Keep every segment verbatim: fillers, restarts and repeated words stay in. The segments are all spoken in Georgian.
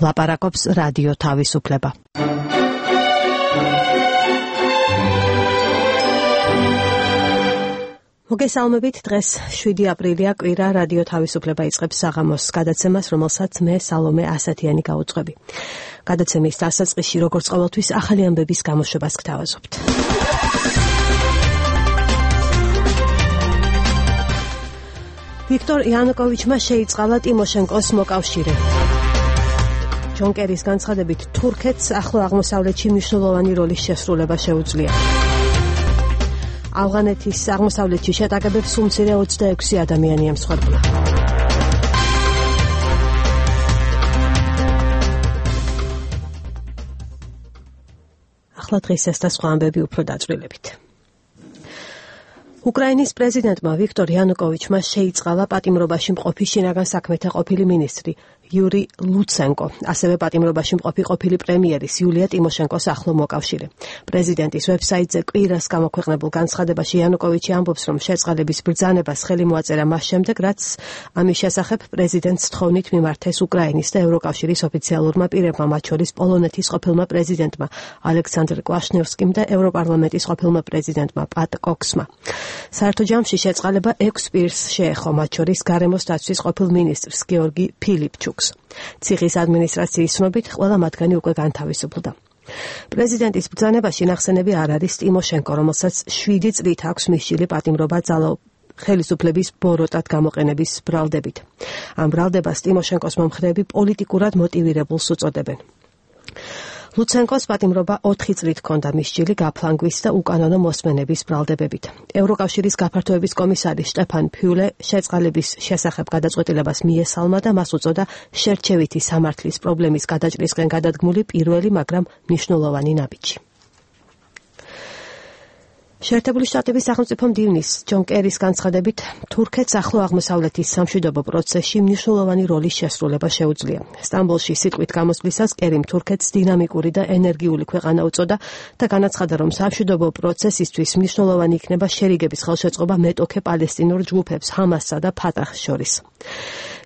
ლაპარაკობს რადიო თავისუფლება. მოგესალმებით, დღეს შვიდი აპრილია, კვირა, რადიო თავისუფლება იწყებს საღამოს გადაცემას, რომელსაც მე სალომე ასათიანი გავუძღვები. გადაცემის დასაწყისში, როგორც ყოველთვის, ახალი ამბების გამოშვებას გთავაზობთ. ვიქტორ იანუკოვიჩმა შეიწყალა ტიმოშენკოს მოკავშირე. ჯონ კერის განცხადებით, თურქეთს ახლო აღმოსავლეთში მნიშვნელოვანი როლის შესრულება შეუძლია. ავღანეთის აღმოსავლეთში შეტაკებებს უმცირე ოცდაექვსი ადამიანი ემსხვერპლა. ახლა დღეს ეს და სხვა ამბები უფრო დაწვრილებით. უკრაინის პრეზიდენტმა ვიქტორ იანუკოვიჩმა შეიწყალა პატიმრობაში მყოფი შინაგან საქმეთა ყოფილი მინისტრი იური ლუცენკო, ასევე პატიმრობაში მყოფი ყოფილი პრემიერის იულია ტიმოშენკოს ახლო მოკავშირე. პრეზიდენტის ვებსაიტზე კვირას გამოქვეყნებულ განცხადებაში იანუკოვიჩი ამბობს, რომ შეწყალების ბრძანებას ხელი მოაწერა მას შემდეგ, რაც ამის შესახებ პრეზიდენტს თხოვნით მიმართეს უკრაინის და ევროკავშირის ოფიციალურმა პირებმა, მათ შორის პოლონეთის ყოფილმა პრეზიდენტმა ალექსანდრ კვაშნევსკიმ და ევროპარლამენტის ყოფილმა პრეზიდენტმა პატ კოქსმა. საერთო ჯამში შეწყალება ექვს პირს შეეხო, მათ შორის გარემოს დაცვის ყოფილ მინისტრს გეორგი ფილიპჩუკს. ციხის ადმინისტრაციის ცნობით, ყველა მათგანი უკვე განთავისუფლდა. პრეზიდენტის ბრძანებაში ნახსენები არ არის ტიმოშენკო, რომელსაც შვიდი წლით აქვს მისჯილი პატიმრობა ძალაუფლების ხელისუფლების ბოროტად გამოყენების ბრალდებით. ამ ბრალდებას ტიმოშენკოს მომხრეები პოლიტიკურად მოტივირებულს უწოდებენ. ლუცენკოს პატიმრობა ოთხი წლით ჰქონდა მისჯილი გაფლანგვის და უკანონო მოსმენების ბრალდებებით. ევროკავშირის გაფართოების კომისარი შტეფან ფიულე შეწყალების შესახებ გადაწყვეტილებას მიესალმა და მას უწოდა შერჩევითი სამართლის პრობლემის გადაჭრისკენ გადადგმული პირველი, მაგრამ მნიშვნელოვანი ნაბიჯი. შეერთებული შტატების სახელმწიფო მდივნის ჯონ კერის განცხადებით, თურქეთს ახლო აღმოსავლეთის სამშვიდობო პროცესში მნიშვნელოვანი როლის შესრულება შეუძლია. სტამბოლში სიტყვით გამოსვლისას კერიმ თურქეთს დინამიკური და ენერგიული ქვეყანა უწოდა და განაცხადა, რომ სამშვიდობო პროცესისთვის მნიშვნელოვანი იქნება შერიგების ხელშეწყობა მეტოქე პალესტინურ ჯგუფებს ჰამასსა და ფატახს შორის.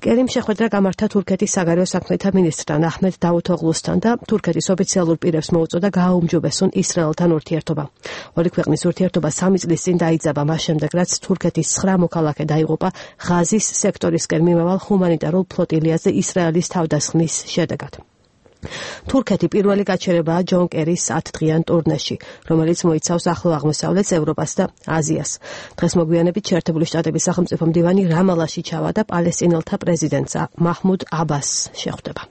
კერიმ შეხვედრა გამართა თურქეთის საგარეო საქმეთა მინისტრთან აჰმედ დავუთოღლუსთან და თურქეთის ოფიციალურ პირებს მოუწოდა გააუმჯობესონ ისრაელთან ურთიერთობა. ორი ქვეყნის ურთიერთობა სამი წლის წინ დაიძაბა მას შემდეგ, რაც თურქეთის ცხრა მოქალაქე დაიღუპა ღაზის სექტორისკენ მიმავალ ჰუმანიტარულ ფლოტილიაზე ისრაელის თავდასხმის შედეგად. თურქეთი პირველი გაჩერებაა ჯონ კერის ათდღიან ტურნეში, რომელიც მოიცავს ახლო აღმოსავლეთს, ევროპას და აზიას. დღეს მოგვიანებით შეერთებული შტატების სახელმწიფო მდივანი რამალაში ჩავა და პალესტინელთა პრეზიდენტს მაჰმუდ აბასს შეხვდება.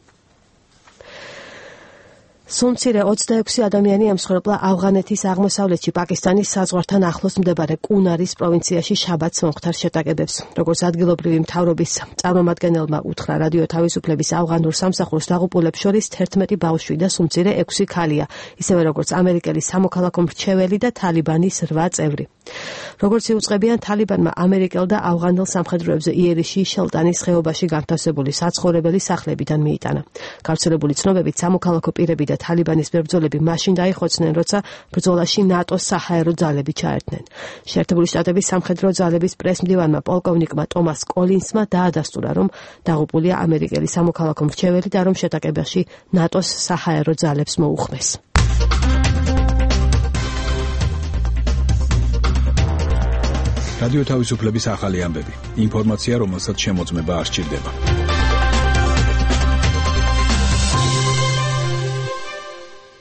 სულ ოცდაექვსი ადამიანი ემსხვერპლა ავღანეთის აღმოსავლეთში პაკისტანის საზღვართან ახლოს მდებარე კუნარის პროვინციაში შაბათს მომხდარ შეტაკებებს. როგორც ადგილობრივი მთავრობის წარმომადგენელმა უთხრა რადიო თავისუფლების ავღანურ სამსახურს, დაღუპულებს შორის თერთმეტი ბავშვი და სულ ექვსი ქალია, ისევე როგორც ამერიკელი სამოქალაქო მრჩეველი და თალიბანის რვა წევრი. როგორც იუწყებიან, თალიბანმა ამერიკელ და ავღანელ სამხედროებზე იერიში შელტანის ხეობაში განთავსებული საცხოვრებელი სახლებიდან მიიტანა. გავრცელებული ცნობებით, სამოქალაქო პირები და თალიბანის ბრძოლები მაშინ დაიხოცნენ, როცა ბრძოლაში ნატოს საჰაერო ძალები ჩაერთნენ. შეერთებული შტატების სამხედრო ძალების პრესმდივანმა პოლკოვნიკმა ტომას კოლინსმა დაადასტურა, რომ დაღუპულია ამერიკელი სამოქალაქო მრჩეველი და რომ შეტაკებაში ნატოს საჰაერო ძალებს მოუხმეს. რადიო თავისუფლების ახალი ამბები. ინფორმაცია, რომელსაც შემოწმება არ სჭირდება.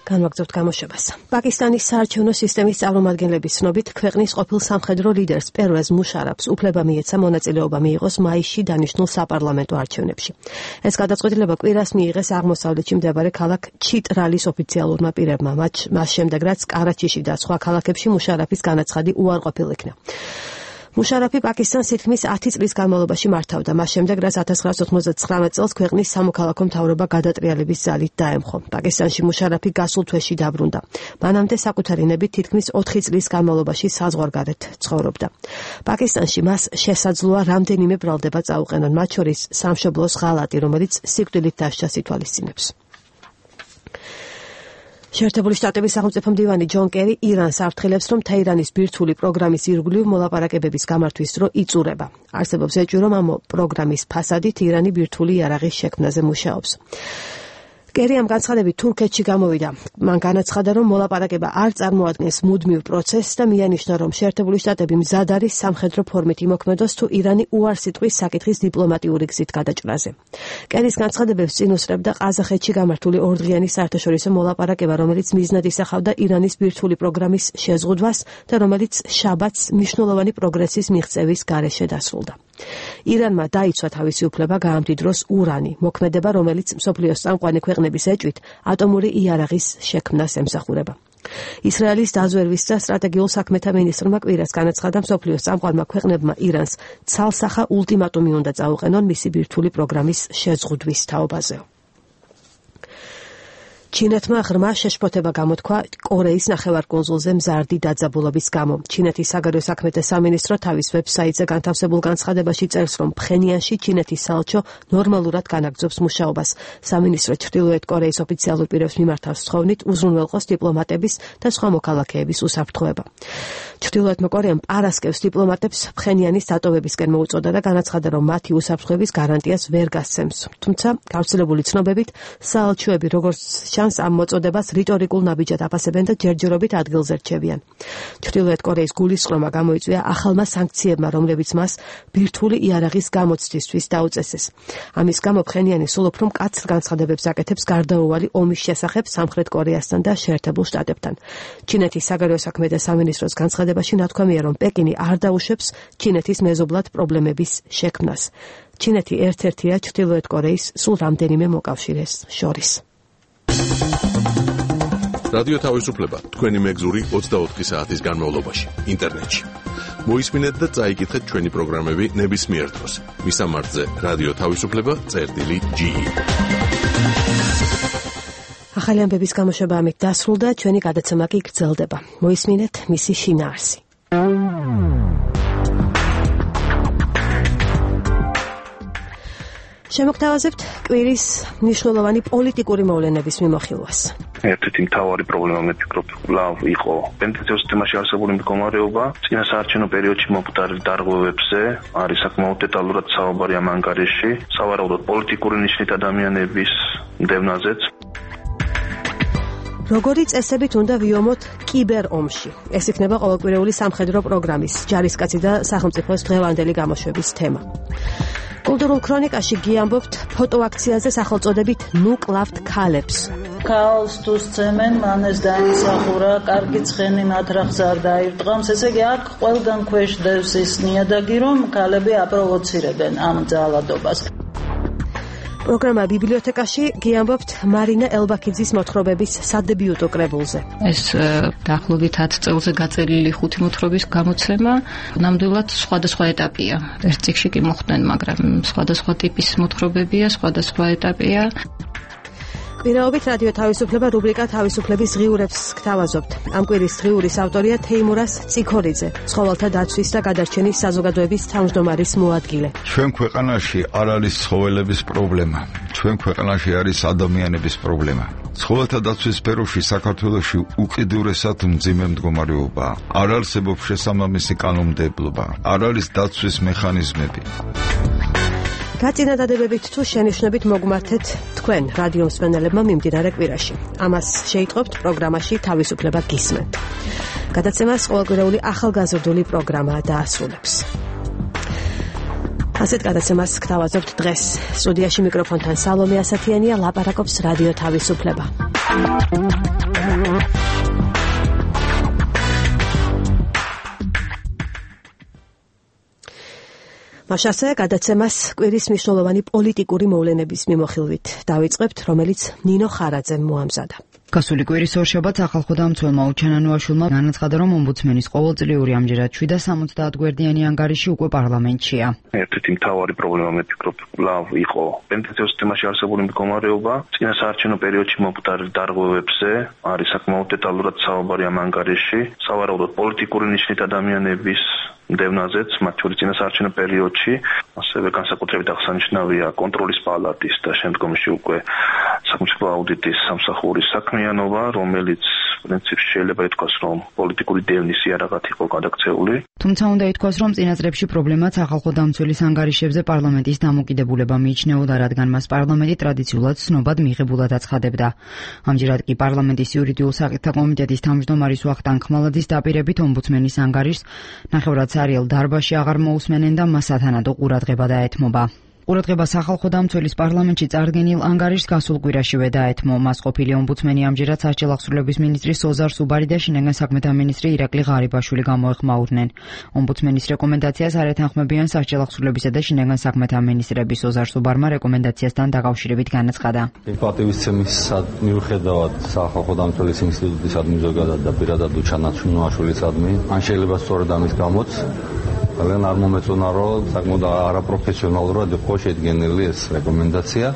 განვაგრძობთ გამოშვებას. პაკისტანის საარჩევნო სისტემის წარმომადგენლების ცნობით, ქვეყნის ყოფილ სამხედრო ლიდერს პერვეზ მუშარაფს უფლება მიეცა მონაწილეობა მიიღოს მაისში დანიშნულ საპარლამენტო არჩევნებში. ეს გადაწყვეტილება კვირას მიიღეს აღმოსავლეთში მდებარე ქალაქ ჩიტრალის ოფიციალურმა პირებმა, მას შემდეგ, რაც კარაჩიში და სხვა ქალაქებში მუშარაფის განაცხადი უარყოფილ იქნა. მუშარაფი პაკისტანს თითქმის ათი წლის განმავლობაში მართავდა, მას შემდეგ, რაც ათას ცხრაასი ოცდათხმეტ წელს ქვეყნის სამოქალაქო მთავრობა გადატრიალების ძალით დაემხო. პაკისტანში მუშარაფი გასულ თვეში დაბრუნდა. მანამდე საკუთარი ნებით თითქმის ოთხი წლის განმავლობაში საზღვარგარეთ ცხოვრობდა. პაკისტანში მას შესაძლოა რამდენიმე ბრალდება წაუყენონ, მათ შორის სამშობლოს ღალატი, რომელიც სიკვდილით დასჯას ითვალისწინებს. შეერთებული შტატების სახელმწიფო მდივანი ჯონ კერი ირანს აფრთხილებს, რომ თეირანის ბირთვული პროგრამის ირგვლივ მოლაპარაკებების გამართვის დრო იწურება. არსებობს ეჭვი, რომ ამ პროგრამის ფასადით ირანი ბირთვული იარაღის შექმნაზე მუშაობს. კერი ამ განცხადებით თურქეთში გამოვიდა. მან განაცხადა, რომ მოლაპარაკება არ წარმოადგენს მუდმივ პროცესს და მიანიშნა, რომ შეერთებული შტატები მზად არის სამხედრო ფორმით იმოქმედოს, თუ ირანი უარს იტყვის საკითხის დიპლომატიური გზით გადაჭრაზე. კერის განცხადებებს წინ უსწრებდა ყაზახეთში გამართული ორდღიანი საერთაშორისო მოლაპარაკება, რომელიც მიზნად ისახავდა ირანის ბირთვული პროგრამის შეზღუდვას და რომელიც შაბათს მნიშვნელოვანი პროგრესის მიღწევის გარეშე დასრულდა. ირანმა დაიცვა თავისი უფლება გაამდიდროს ურანი, მოქმედება, რომელიც მსოფლიოს წამყვანი ქვეყნების ეჭვით ატომური იარაღის შექმნას ემსახურება. ისრაელის დაზვერვის და სტრატეგიულ საქმეთა მინისტრმა კვირას განაცხადა, მსოფლიოს წამყვანმა ქვეყნებმა ირანს ცალსახა ულტიმატუმი უნდა წაუყენონ მისი ბირთვული პროგრამის შეზღუდვის თაობაზე. ჩინეთმა ღრმა შეშფოთება გამოთქვა კორეის ნახევარკუნძულზე მზარდი დაძაბულობის გამო. ჩინეთის საგარეო საქმეთა სამინისტრო თავის ვებსაიტზე განთავსებულ განცხადებაში წერს, რომ ფხენიანში ჩინეთის საელჩო ნორმალურად განაგრძობს მუშაობას. სამინისტრო ჩრდილოეთ კორეის ოფიციალურ პირებს მიმართავს სხოვნით უზრუნველყოს დიპლომატების და სხვა მოქალაქეების უსაფრთხოება. ჩრდილოეთმა კორეამ პარასკევს დიპლომატებს ფხენიანის დატოვებისკენ მოუწოდა და განაცხადა, რომ მათი უსაფრთხოების გარანტიას ვერ გასცემს. თუმცა გავრცელებული ცნობებით საელჩოები როგორც ჩანს ამ მოწოდებას რიტორიკულ ნაბიჯად აფასებენ და ჯერჯერობით ადგილზე რჩებიან. ჩრდილოეთ კორეის გულისწყრომა გამოიწვია ახალმა სანქციებმა, რომლებიც მას ბირთვული იარაღის გამოცდისთვის დაუწესეს. ამის გამო ფხენიანი სულ უფრო მკაცრ განცხადებებს აკეთებს გარდაუვალი ომის შესახებ სამხრეთ კორეასთან და შეერთებულ შტატებთან. ჩინეთის საგარეო საქმეთა სამინისტროს განცხადებაში ნათქვამია, რომ პეკინი არ დაუშვებს ჩინეთის მეზობლად პრობლემების შექმნას. ჩინეთი ერთ-ერთია ჩრდილოეთ კორეის სულ რამდენიმე მოკავშირეს შორის. რადიო თავისუფლება თქვენი მეგზური ოცდაოთხი საათის განმავლობაში ინტერნეტში. მოისმინეთ და წაიკითხეთ ჩვენი პროგრამები ნებისმიერ დროს. მისამართზე რადიო თავისუფლება წერტილი ჯი. ახალი ამბების გამოშვება ამით დასრულდა, ჩვენი გადაცემა კი გრძელდება. მოისმინეთ მისი შინაარსი. შემოგთავაზებთ კვირის მნიშვნელოვანი პოლიტიკური მოვლენების მიმოხილვას. ერთ-ერთი მთავარი პრობლემა მე ვფიქრობ, კვლავ იყო პენტენციოს სისტემაში არსებული მდგომარეობა. წინასაარჩევნო პერიოდში მომხდარი დარღვევებზე არის საკმაოდ დეტალურად საუბარი ამ ანგარიშში, სავარაუდოდ პოლიტიკური ნიშნით ადამიანების დევნაზეც. როგორი წესებით უნდა ვიომოთ კიბერ ომში? ეს იქნება ყოველკვირეული სამხედრო პროგრამის, ჯარისკაცი და სახელმწიფოს დღევანდელი გამოშვების თემა. კულტურულ ქრონიკაში გიამბობთ ფოტოაქციაზე სახელწოდებით ნუ კლავთ ქალებს. ქალს თუ სცემენ, მან ეს დაიმსახურა, კარგი ცხენი მათ რახს არ დაირტყამს, ესე იგი აქ ყველგან ქვეშ დევს ის ნიადაგი, რომ ქალები აპროვოცირებენ ამ ძალადობას. პროგრამა ბიბლიოთეკაში გიამბობთ მარინა ელბაქიძის მოთხრობების სადებიუტო კრებულზე. ეს დაახლოებით ათ წელზე გაწერილი ხუთი მოთხრობის გამოცემა, ნამდვილად სხვადასხვა ეტაპია. ერთ წიგნში კი მოხდნენ, მაგრამ სხვადასხვა ტიპის მოთხრობებია, სხვადასხვა ეტაპია. კვირაობით რადიო თავისუფლება რუბრიკა თავისუფლების ღიურებს გთავაზობთ. ამ კვირის ღიურის ავტორია თეიმურას ციქორიძე, ცხოველთა დაცვის და გადარჩენის საზოგადოების თავმჯდომარის მოადგილე. ჩვენ ქვეყანაში არ არის ცხოველების პრობლემა, ჩვენ ქვეყანაში არის ადამიანების პრობლემა. ცხოველთა დაცვის სფეროში საქართველოში უკიდურესად მძიმე მდგომარეობაა. არ არსებობს შესაბამისი კანონმდებლობა, არ არის დაცვის მექანიზმები. გაწინადადებებით თუ შენიშვნებით მოგმართეთ თქვენ რადიო მსმენელებმა მიმდინარე კვირაში. ამას შეიტყობთ პროგრამაში თავისუფლება გისმენთ. გადაცემას ყოველკვირეული ახალგაზრდული პროგრამა დაასრულებს. ასეთ გადაცემას გთავაზობთ დღეს. სტუდიაში მიკროფონთან სალომე ასათიანია, ლაპარაკობს რადიო თავისუფლება. მაშასე გადაცემას კვირის მნიშვნელოვანი პოლიტიკური მოვლენების მიმოხილვით დავიწყებთ, რომელიც ნინო ხარაძემ მოამზადა. გასული კვირის ორშაბათს ახალხოდა მცველმა უჩანანუაშვილმა განაცხადა, რომ ომბუდსმენის ყოველწლიური ამჯერად შვიდ და სამოცდაათ გვერდიანი ანგარიში უკვე პარლამენტშია. ერთ-ერთი მთავარი პრობლემა მე ვფიქრობ, კვლავ იყო პენტენციოს სისტემაში არსებული მდგომარეობა. წინასაარჩევნო პერიოდში მომხდარი დარღვევებზე არის საკმაოდ დეტალურად საუბარი ამ ანგარიში, სავარაუდოდ პოლიტიკური ნიშნით ადამიანების დევნაზეც, მათ შორის წინასაარჩევნო პერიოდში, ასევე განსაკუთრებით აღსანიშნავია კონტროლის პალატის და შემდგომში უკვე სახელმწიფო აუდიტის სამსახურის საქმიანობა, რომელიც პრინციპში შეიძლება ითქვას, რომ პოლიტიკური დევნის იარაღად იყო გადაქცეული. თუმცა უნდა ითქვას, რომ წინა წლებში პრობლემაც ახალ დამცველის ანგარიშებზე პარლამენტის დამოკიდებულება მიიჩნეოდა, რადგან მას პარლამენტი ტრადიციულად ცნობად მიღებულად აცხადებდა. ამჯერად კი პარლამენტის იურიდიულ საკითხთა კომიტეტის თავმჯდომარის ვახტანგ ხმალაძის დაპირებით ომბუდსმენის ანგარიშს ნახევრად სარიელ დარბაზში აღარ მოусმენენ და მას სათანადო ყურადღება დაეთმობა. ყურადღება სახალხო დამცველის პარლამენტში წარდგენილ ანგარიშს გასულ კვირაშივე დაეთმო. მას ყოფილი ომბუდსმენი ამჯერად სასჯელ აღსრულების მინისტრი სოზარ სუბარი და შინაგან საქმეთა მინისტრი ირაკლი ღარიბაშვილი გამოეხმაურნენ. ომბუდსმენის რეკომენდაციას არ ეთანხმებიან სასჯელ აღსრულებისა და შინაგან საქმეთა მინისტრები. სოზარ სუბარმა რეკომენდაციასთან დაკავშირებით განაცხადა. პატივისცემის მიუხედავად სახალხო დამცველის ინსტიტუტისადმი ზოგადად და პირადად ჩანაცვლაშვილისადმი, ან შეიძლება სწორედ ამის გამოც ძალიან არ მომეწონა, რომ საკმაოდ არაპროფესიონალურად იყო შედგენილი ეს რეკომენდაცია.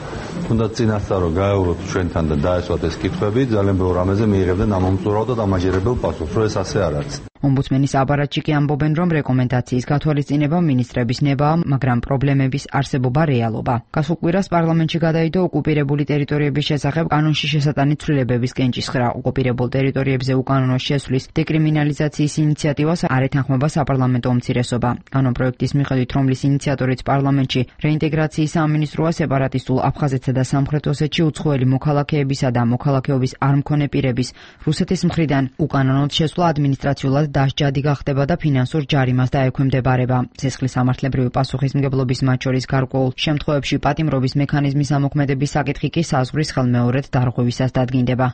თუნდაც წინასწარ რომ გაევროთ ჩვენთან და დაესვათ ეს კითხვები, ძალიან ბევრ რამეზე მიიღებდნენ ამომწურავ და დამაჯერებელ პასუხს, რომ ეს ასე არ არის. ომბუდსმენის აპარატში კი ამბობენ, რომ რეკომენდაციის გათვალისწინება მინისტრების ნებაა, მაგრამ პრობლემების არსებობა რეალობა. გასულ კვირას პარლამენტში გადაიდო ოკუპირებული ტერიტორიების შესახებ კანონში შესატანი ცვლილებების კენჭისხრა. ოკუპირებულ ტერიტორიებზე უკანონო შესვლის დეკრიმინალიზაციის ინიციატივას არ ეთანხმება საპარლამენტო უმცირესობა. კანონპროექტის მიხედვით, რომლის ინიციატორიც პარლამენტში რეინტეგრაციის სამინისტროა, სეპარატისტულ აფხაზეთსა და სამხრეთ ოსეთში უცხოელი მოქალაქეებისა და მოქალაქეობის არ მქონე პირების რუსეთის მხრიდან უკანონოდ შესვლა ადმინისტრაციულად დასჯადი გახდება და ფინანსურ ჯარიმას დაექვემდებარება. სისხლის სამართლებრივი პასუხისმგებლობის მათ შორის გარკვეულ შემთხვევებში პატიმრობის მექანიზმის ამოქმედების საკითხი კი საზღვრის ხელმეორედ დარღვევისას დადგინდება.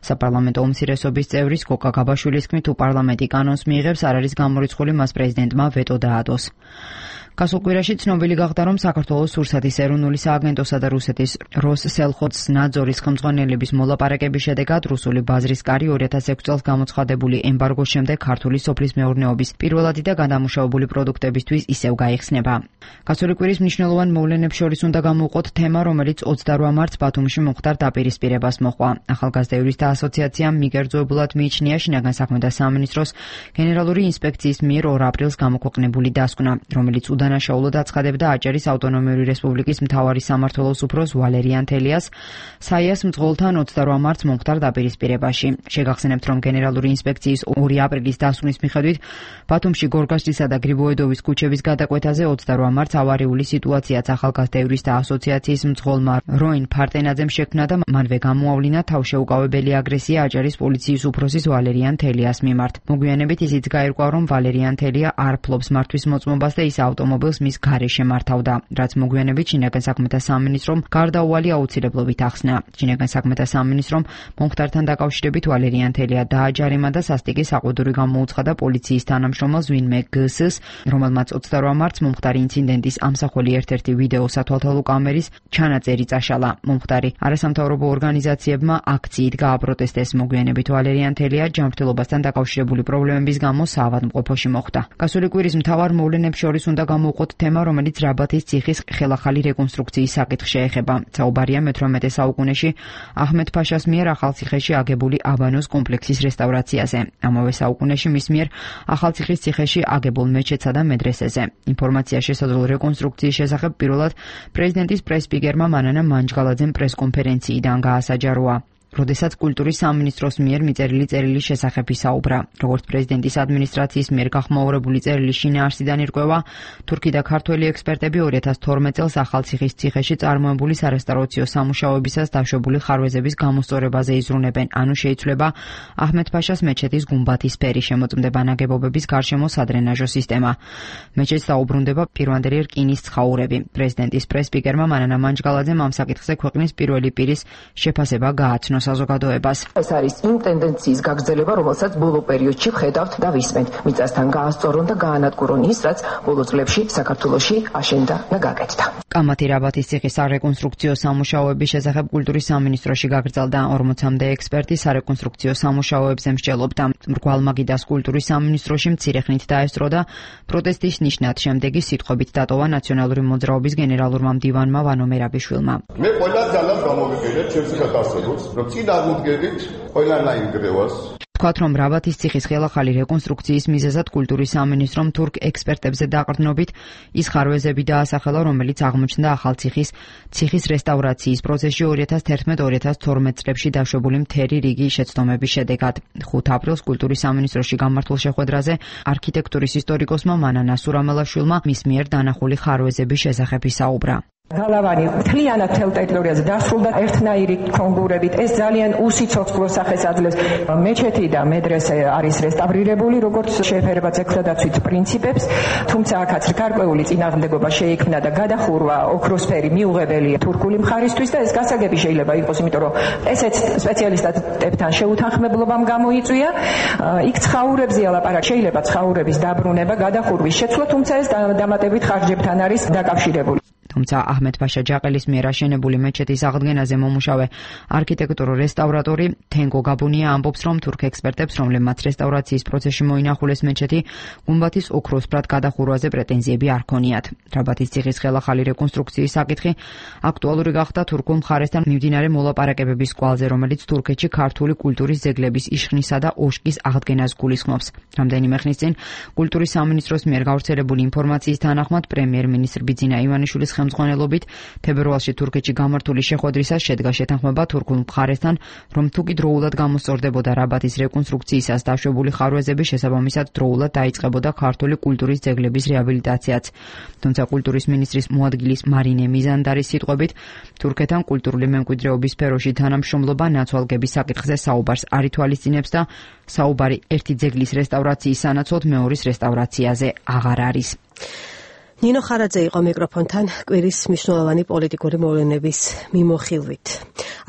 საპარლამენტო უმცირესობის წევრის გოგა გაბაშვილის თქმით, თუ პარლამენტი კანონს მიიღებს, არ არის გამორიცხული მას პრეზიდენტმა ვეტო დაადოს. გასულ კვირაში ცნობილი გახდა, რომ საქართველოს სურსათის ეროვნული სააგენტოსა და რუსეთის როსსელხოცნაძორის ხელმძღვანელების მოლაპარაკების შედეგად რუსული ბაზრის კარი ორი ათას ექვსი წელს გამოცხადებული ემბარგოს შემდეგ ქართული სოფლის მეურნეობის პირველადი და გადამუშავებული პროდუქტებისთვის ისევ გაიხსნება. გასული კვირის მნიშვნელოვან მოვლენებს შორის უნდა გამოვყოთ თემა, რომელიც ოცდარვა მარტს ბათუმში მომხდარ დაპირისპირებას მოჰყვა. ახალგაზრდა იურისტთა ასოციაციამ მიგერძოებულად მიიჩნია შინაგან საქმეთა სამინისტროს გენერალური ინსპექციის მიერ ორ აპრილს გამოქვეყნებული დასკვნა, რომელიც udanașaulod aცხადებდა აჭარის ავტონომიური რესპუბლიკის მთავარი სამმართველოს უფროს ვალერიან თელიას საიას მძღოლთან ოცდარვა მარტს მომხდარ დაპირისპირებაში. შეგახსენებთ, რომ გენერალური ინსპექციის ორი აპრილის დასკვნის მიხედვით ბათუმში გორგასლისა და გრიბოედოვის ქუჩების გადაკვეთაზე ოცდარვა მარტს ავარიული სიტუაციაც ახალგაზრდა იურისტთა ასოციაციის მძღოლმა როინ ფარტენაძემ შექმნა და მანვე გამოავლინა თავშეუკავებელი აგრესია აჭარის პოლიციის უფროსის ვალერიან თელიას მიმართ. მოგვიანებით ისიც გაირკვა, რომ ვალერიან თელია არ ფლობს მართვის მოწმობას და ის ავტომობილს მის გარეშე მართავდა, რაც მოგვიანებით შინაგან საქმეთა სამინისტრომ გარდაუვალი აუცილებლობით ახსნა. შინაგან საქმეთა სამინისტრომ მომხდართან დაკავშირებით ვალერიან თელია დააჯარიმა და სასტიკი საყუდური გამოუცხადა პოლიციის თანამშრომელს ვინმე გსს, რომელმაც ოცდარვა მარტს მომხდარი ინციდენტის ამსახველი ერთ-ერთი ვიდეო სათვალთვალო კამერის ჩანაწერი წაშალა. მომხდარი არასამთავრობო ორგანიზაციებმა აქციით გააპროტესტეს. მოგვიანებით ვალერიან თელია ჯანმრთელობასთან დაკავშირებული პრობლემების გამო საავადმყოფოში მოხვდა. გასული კვირის მთავარ მოვლენებს შორის უნდა გამოვყოთ თემა, რომელიც რაბათის ციხის ხელახალი რეკონსტრუქციის საკითხს შეეხება. საუბარია მეთვრამეტე საუკუნეში აჰმედ-ფაშას მიერ ახალციხეში აგებული აბანოს კომპლექსის რესტავრაციაზე. ამავე საუკუნეში მის მიერ ახალციხის ციხეში აგებულ მეჩეთსა და მედრესეზე. ინფორმაცია შესაძლო რეკონსტრუქციის შესახებ პირველად პრეზიდენტის პრეს-სპიკერმა მანანა მანჯგალაძემ პრეს-კონფერენციიდან გაასაჯაროა. როდესაც კულტურის სამინისტროს მიერ მიწერილი წერილის შესახებ ისაუბრა. როგორც პრეზიდენტის ადმინისტრაციის მიერ გახმაურებული წერილის შინაარსიდან ირკვევა, თურქი და ქართველი ექსპერტები ორი ათას თორმეტ წელს ახალციხის ციხეში წარმოებული სარესტავრაციო სამუშაოებისას დაშვებული ხარვეზების გამოსწორებაზე იზრუნებენ, ანუ შეიცვლება აჰმედ-ფაშას მეჩეთის გუმბათის ფერი, შემოწმდება ნაგებობების გარშემო სადრენაჟო სისტემა. მეჩეთს დაუბრუნდება პირვანდელი რკინის ცხაურები. პრეზიდენტის პრეს-სპიკერმა მანანა მანჯგალაძემ ამ საკითხზე ქვეყნის პირველი პირის შეფასება გააცნო საზოგადოებას. ეს არის იმ ტენდენციის გაგრძელება, რომელსაც ბოლო პერიოდში ვხედავთ და ვისმენთ. მიწასთან გაასწორონ და გაანადგურონ ის, რაც ბოლო წლებში საქართველოში აშენდა და გაკეთდა. კამათი რაბათის ციხის სარეკონსტრუქციო სამუშაოების შესახებ კულტურის სამინისტროში გაგრძელდა. ორმოცამდე ექსპერტი სარეკონსტრუქციო სამუშაოებზე მსჯელობდა. მრგვალმაგიდას კულტურის სამინისტროში მცირე ხნით დაესწრო და პროტესტის ნიშნად შემდეგი სიტყვებით დატოვა ნაციონალური მოძრაობის გენერალურმა მდივანმა ვანო მერაბიშვილმა. მე ყველა ძალას გამოვიყენებ ჩემს გადასწრებს, რომ წინ აღმდგებით ყველანაირ გრევას. თქვათ, რომ რაბათის ციხის ხელახალი რეკონსტრუქციის მიზეზად კულტურის სამინისტრომ თურქ ექსპერტებზე დაყრდნობით ის ხარვეზები დაასახელა, რომელიც აღმოჩნდა ახალ ციხის ციხის რესტავრაციის პროცესში ორი ათას თერთმეტ ორი ათას თორმეტ წლებში დაშვებული მთელი რიგი შეცდომების შედეგად. ხუთ აპრილს კულტურის სამინისტროში გამართულ შეხვედრაზე არქიტექტურის ისტორიკოსმა მანან ასურამელაშვილმა მის მიერ დანახული ხარვეზების შესახებ ისაუბრა. გალავანი მთლიანად მთელ ტერიტორიაზე დასრულდა ერთნაირი კონგურებით. ეს ძალიან უსიცოცხლო მოსახეს აძლევს. მეჩეთი და მედრესე არის რესტავრირებული, როგორც შეეფერება ძეგლდაცვით პრინციპებს, თუმცა აქაც გარკვეული წინააღმდეგობა შეიქმნა და გადახურვა ოქროსფერი მიუღებელია თურქული მხარისთვის და ეს გასაგები შეიძლება იყოს, იმიტომ რომ ესეც სპეციალისტებთან შეუთანხმებლობამ გამოიწვია. იქ ცხაურებზეა ლაპარაკი, შეიძლება ცხაურების დაბრუნება, გადახურვის შეცვლა, თუმცა ეს დამატებით ხარჯებთან არის დაკავშირებული. თუმცა აჰმედ-ფაშა ჯაყელის მიერ აშენებული მეჩეთის აღდგენაზე მომუშავე არქიტექტურო რესტავრატორი თენგო გაბუნია ამბობს, რომ თურქ ექსპერტებს, რომლებმაც რესტავრაციის პროცესში მოინახულეს მეჩეთი, გუმბათის ოქროსფრად გადახურვაზე პრეტენზიები არ ქონიათ. რაბათის ციხის ხელახალი რეკონსტრუქციის საკითხი აქტუალური გახდა თურქულ მხარესთან მიმდინარე მოლაპარაკებების კვალზე, რომელიც თურქეთში ქართული კულტურის ძეგლების იშხნისა და ოშკის აღდგენას გულისხმობს. რამდენიმე ხნის წინ კულტურის სამინისტროს მიერ გავრცელებული ინფორმაციის თანახმად პრემიერ-მინისტრ ბიძინა ივანიშვილის ხელმძღვანელობით თებერვალში თურქეთში გამართული შეხვედრისას შედგა შეთანხმება თურქულ მხარესთან, რომ თუკი დროულად გამოსწორდებოდა რაბათის რეკონსტრუქციისას დაშვებული ხარვეზები, შესაბამისად დროულად დაიწყებოდა ქართული კულტურის ძეგლების რეაბილიტაციაც. თუმცა კულტურის მინისტრის მოადგილის მარინე მიზანდარის სიტყვებით, თურქეთთან კულტურული მემკვიდრეობის სფეროში თანამშრომლობა ნაცვალგების საკითხზე საუბარს არ ითვალისწინებს და საუბარი ერთი ძეგლის რესტავრაციის სანაცვლოდ მეორის რესტავრაციაზე აღარ არის. ნინო ხარაძე იყო მიკროფონთან კვირის მნიშვნელოვანი პოლიტიკური მოვლენების მიმოხილვით.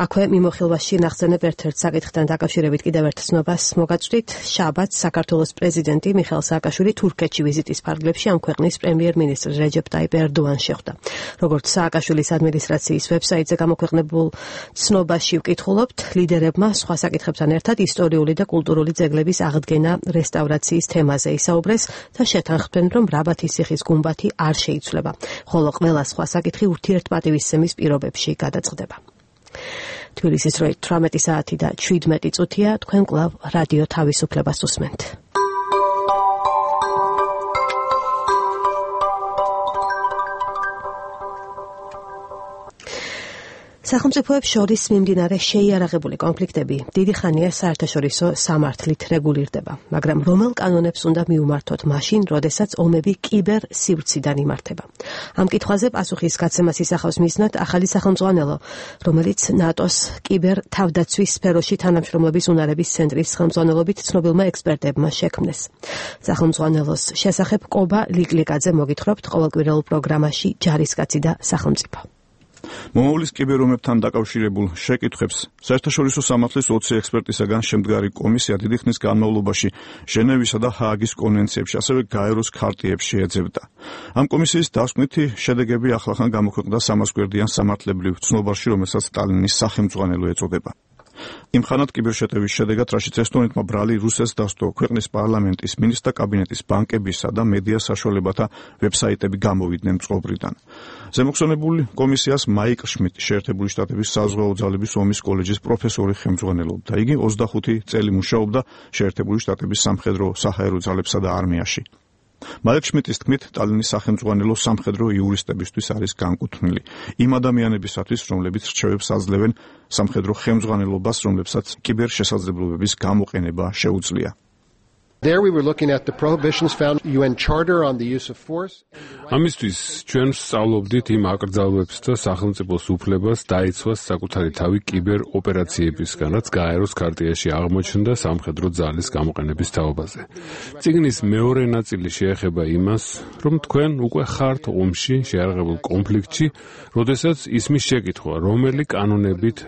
აქვე მიმოხილვაში ნახსენებ ერთ-ერთ საკითხთან დაკავშირებით კიდევ ერთ ცნობას მოგაწვდით. შაბათს საქართველოს პრეზიდენტი მიხეილ სააკაშვილი თურქეთში ვიზიტის ფარგლებში ამ ქვეყნის პრემიერ-მინისტრ რეჯეპ ტაიპ ერდოანს შეხვდა. როგორც სააკაშვილის ადმინისტრაციის ვებსაიტზე გამოქვეყნებულ ცნობაში ვკითხულობთ, ლიდერებმა სხვა საკითხებთან ერთად ისტორიული და კულტურული ძეგლების აღდგენა, რესტავრაციის თემაზე ისაუბრეს და შეთანხმდნენ, რომ რაბათის ციხის გუმბათი არ შეიცვლება, ხოლო ყველა სხვა საკითხი ურთიერთპატივისცემის პირობებში გადაწყდება. თბილისის დროით თვრამეტი საათი და შვიდმეტი წუთია, თქვენ კვლავ რადიო თავისუფლებას უსმენთ. სახელმწიფოებს შორის მიმდინარე შეიარაღებული კონფლიქტები დიდი ხანია საერთაშორისო სამართლით რეგულირდება, მაგრამ რომელ კანონებს უნდა მიუმართოთ მაშინ, როდესაც ომები კიბერ სივრციდან იმართება. ამ კითხვაზე პასუხის გაცემას ისახავს მიზნად ახალი სახელმძღვანელო, რომელიც ნატოს კიბერ თავდაცვის სფეროში თანამშრომლობის უნარების ცენტრის ხელმძღვანელობით ცნობილმა ექსპერტებმა შექმნეს. სახელმძღვანელოს შესახებ კობა ლიკლიკაძე მოგითხრობთ ყოველკვირეულ პროგრამაში ჯარისკაცი და სახელმწიფო. მომავლის კიბერომებთან დაკავშირებულ შეკითხვებს საერთაშორისო სამართლის ოცი ექსპერტისაგან შემდგარი კომისია დიდი ხნის განმავლობაში ჟენევისა და ჰააგის კონვენციებში, ასევე გაეროს ქარტიებში ეძებდა. ამ კომისიის დასკვნითი შედეგები ახლახან გამოქვეყნდა სამას გვერდიან სამართლებრივ ცნობარში, რომელსაც სტალინის სახელმძღვანელო ეწოდება. იმ ხანად კიბერშეტევის შედეგად, რაშიც ესტონეთმა ბრალი რუსეთს დასდო ქვეყნის პარლამენტის, მინისტრთა კაბინეტის, ბანკებისა და მედია საშუალებათა ვებსაიტები გამოვიდნენ წყობრიდან. ზემოხსენებული კომისიას მაიკ შმიტი შეერთებული შტატების საზღვაო ძალების ომის კოლეჯის პროფესორი ხელმძღვანელობდა. იგი ოცდახუთი წელი მუშაობდა შეერთებული შტატების სამხედრო საჰაერო ძალებსა და არმიაში. მაიკ შმიტის თქმით, სტალინის სახელმძღვანელო სამხედრო იურისტებისთვის არის განკუთვნილი იმ ადამიანებისათვის, რომლებიც რჩევებს აძლევენ სამხედრო ხელმძღვანელობას, რომლებსაც კიბერ შესაძლებლობების გამოყენება შეუძლია. There we were looking at the prohibitions found U N Charter on the use of force. ამისთვის ჩვენ სწავლობდით იმ აკრძალვებს და სახელმწიფოს უფლებას დაიცვას საკუთარი თავი კიბერ ოპერაციებისგან, რაც გაეროს ქარტიაში აღმოჩნდა სამხედრო ძალის გამოყენების თაობაზე. წიგნის მეორე ნაწილი შეეხება იმას, რომ თქვენ უკვე ხართ ომში, შეიარაღებულ კონფლიქტში, როდესაც ისმის შეკითხვა, რომელი კანონებით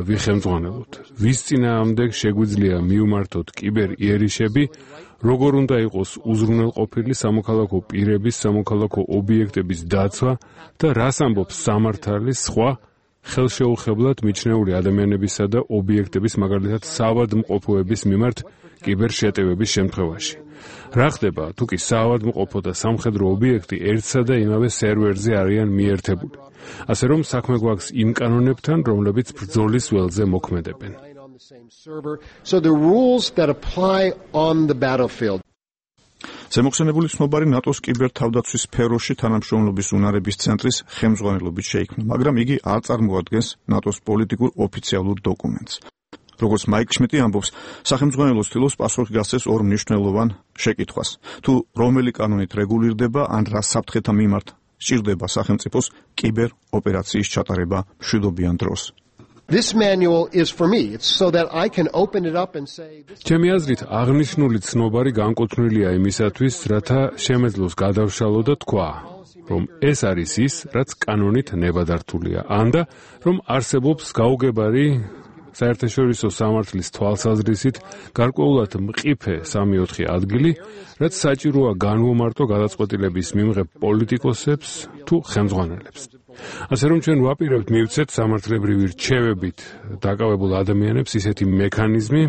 ვიხელმძღვანელოთ, ვის წინააღმდეგ შეგვიძლია მიუმართოთ კიბერ იერიშები, როგორ უნდა იყოს უზრუნველყოფილი სამოქალაქო პირების, სამოქალაქო ობიექტების დაცვა და რას ამბობს სამართალი სხვა ხელშეუხებლად მიჩნეული ადამიანებისა და ობიექტების, მაგალითად საავადმყოფოების მიმართ კიბერშეტევების შემთხვევაში. რა ხდება, თუ კი საავადმყოფო და სამხედრო ობიექტი ერთსა და იმავე სერვერზე არიან მიერთებული, ასე რომ საქმე გვაქვს იმ კანონებთან, რომლებიც ბრძოლის ველზე მოქმედებენ. the same server. So the rules that apply on the battlefield. ზემოხსენებული ცნობარი ნატოს კიბერთავდაცვის სფეროში თანამშრომლობის უნარების ცენტრის ხელმძღვანელობით შეიქმნა, მაგრამ იგი არ წარმოადგენს ნატოს პოლიტიკურ ოფიციალურ დოკუმენტს. როგორც მაიკ შმიტი ამბობს, სახელმძღვანელო ცდილობს პასუხი გასცეს ორ მნიშვნელოვან შეკითხვას. თუ რომელი კანონით რეგულირდება ან რა საფრთხეთა მიმართ სჭირდება სახელმწიფოს კიბერ ოპერაციის ჩატარება მშვიდობიან დროს. This manual is for me. It's so that I can open it up and say ჩემი აზრით აღნიშნული ცნობარი განკუთვნილია იმისათვის, რათა შემეძლოს გადავშალო და თქვა, რომ ეს არის ის, რაც კანონით ნებადართულია, ანდა რომ არსებობს გაუგებარი საერთაშორისო სამართლის თვალსაზრისით გარკვეულად მყიფე სამი ოთხი ადგილი, რაც საჭიროა განვომარტო გადაწყვეტილების მიმღებ პოლიტიკოსებს თუ ხელმძღვანელებს. ასე რომ ჩვენ ვაპირებთ მივცეთ სამართლებრივი რჩევებით დაკავებულ ადამიანებს ისეთი მექანიზმი,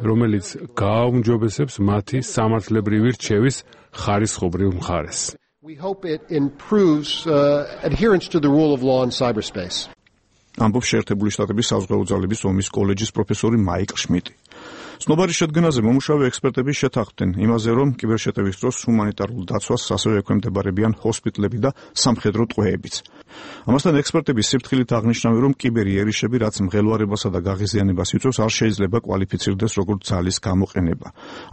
რომელიც გააუმჯობესებს მათი სამართლებრივი რჩევის ხარისხობრივ მხარეს. We hope it improves uh, adherence to the rule of law in cyberspace. ამბობს შეერთებული შტატების საზღვაო ძალების ომის კოლეჯის პროფესორი მაიკ შმიტი. ცნობარი შედგენაზე მომუშავე ექსპერტები შეთანხმდნენ იმაზე, რომ კიბერშეტევის დროს ჰუმანიტარულ დაცვას ასევე ექვემდებარებიან ჰოსპიტლები და სამხედრო ტყვეებიც. ამასთან ექსპერტები სიფრთხილით აღნიშნავენ, რომ კიბერი ერიშები, რაც მღელვარებასა და გაღიზიანებას იწვევს, არ შეიძლება კვალიფიცირდეს როგორც ძალის გამოყენება.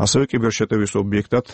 ასევე კიბერშეტევის ობიექტად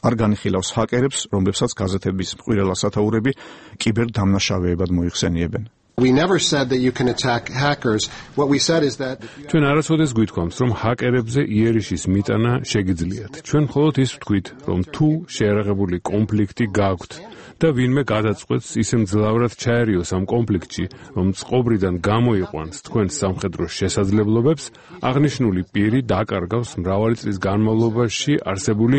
არ განიხილავს ჰაკერებს, რომლებსაც გაზეთების მყვილა სათაურები კიბერდამნაშავეებად მოიხსენიებენ. We never said that you can attack hackers. What we said is that ჩვენ არასოდეს გვითქვამს, რომ ჰაკერებზე იერიშის მიტანა შეგიძლიათ. ჩვენ მხოლოდ ის ვთქვით, რომ თუ შეერაღებული კონფლიქტი გაქვთ და ვინმე გადაწყვეტს ისე მძლავრად ჩაერიოს ამ კონფლიქტში, რომ წყობრიდან გამოიყვანს თქვენს სამხედრო შესაძლებლობებს, აღნიშნული პირი დაკარგავს მრავალი წლის განმავლობაში არსებული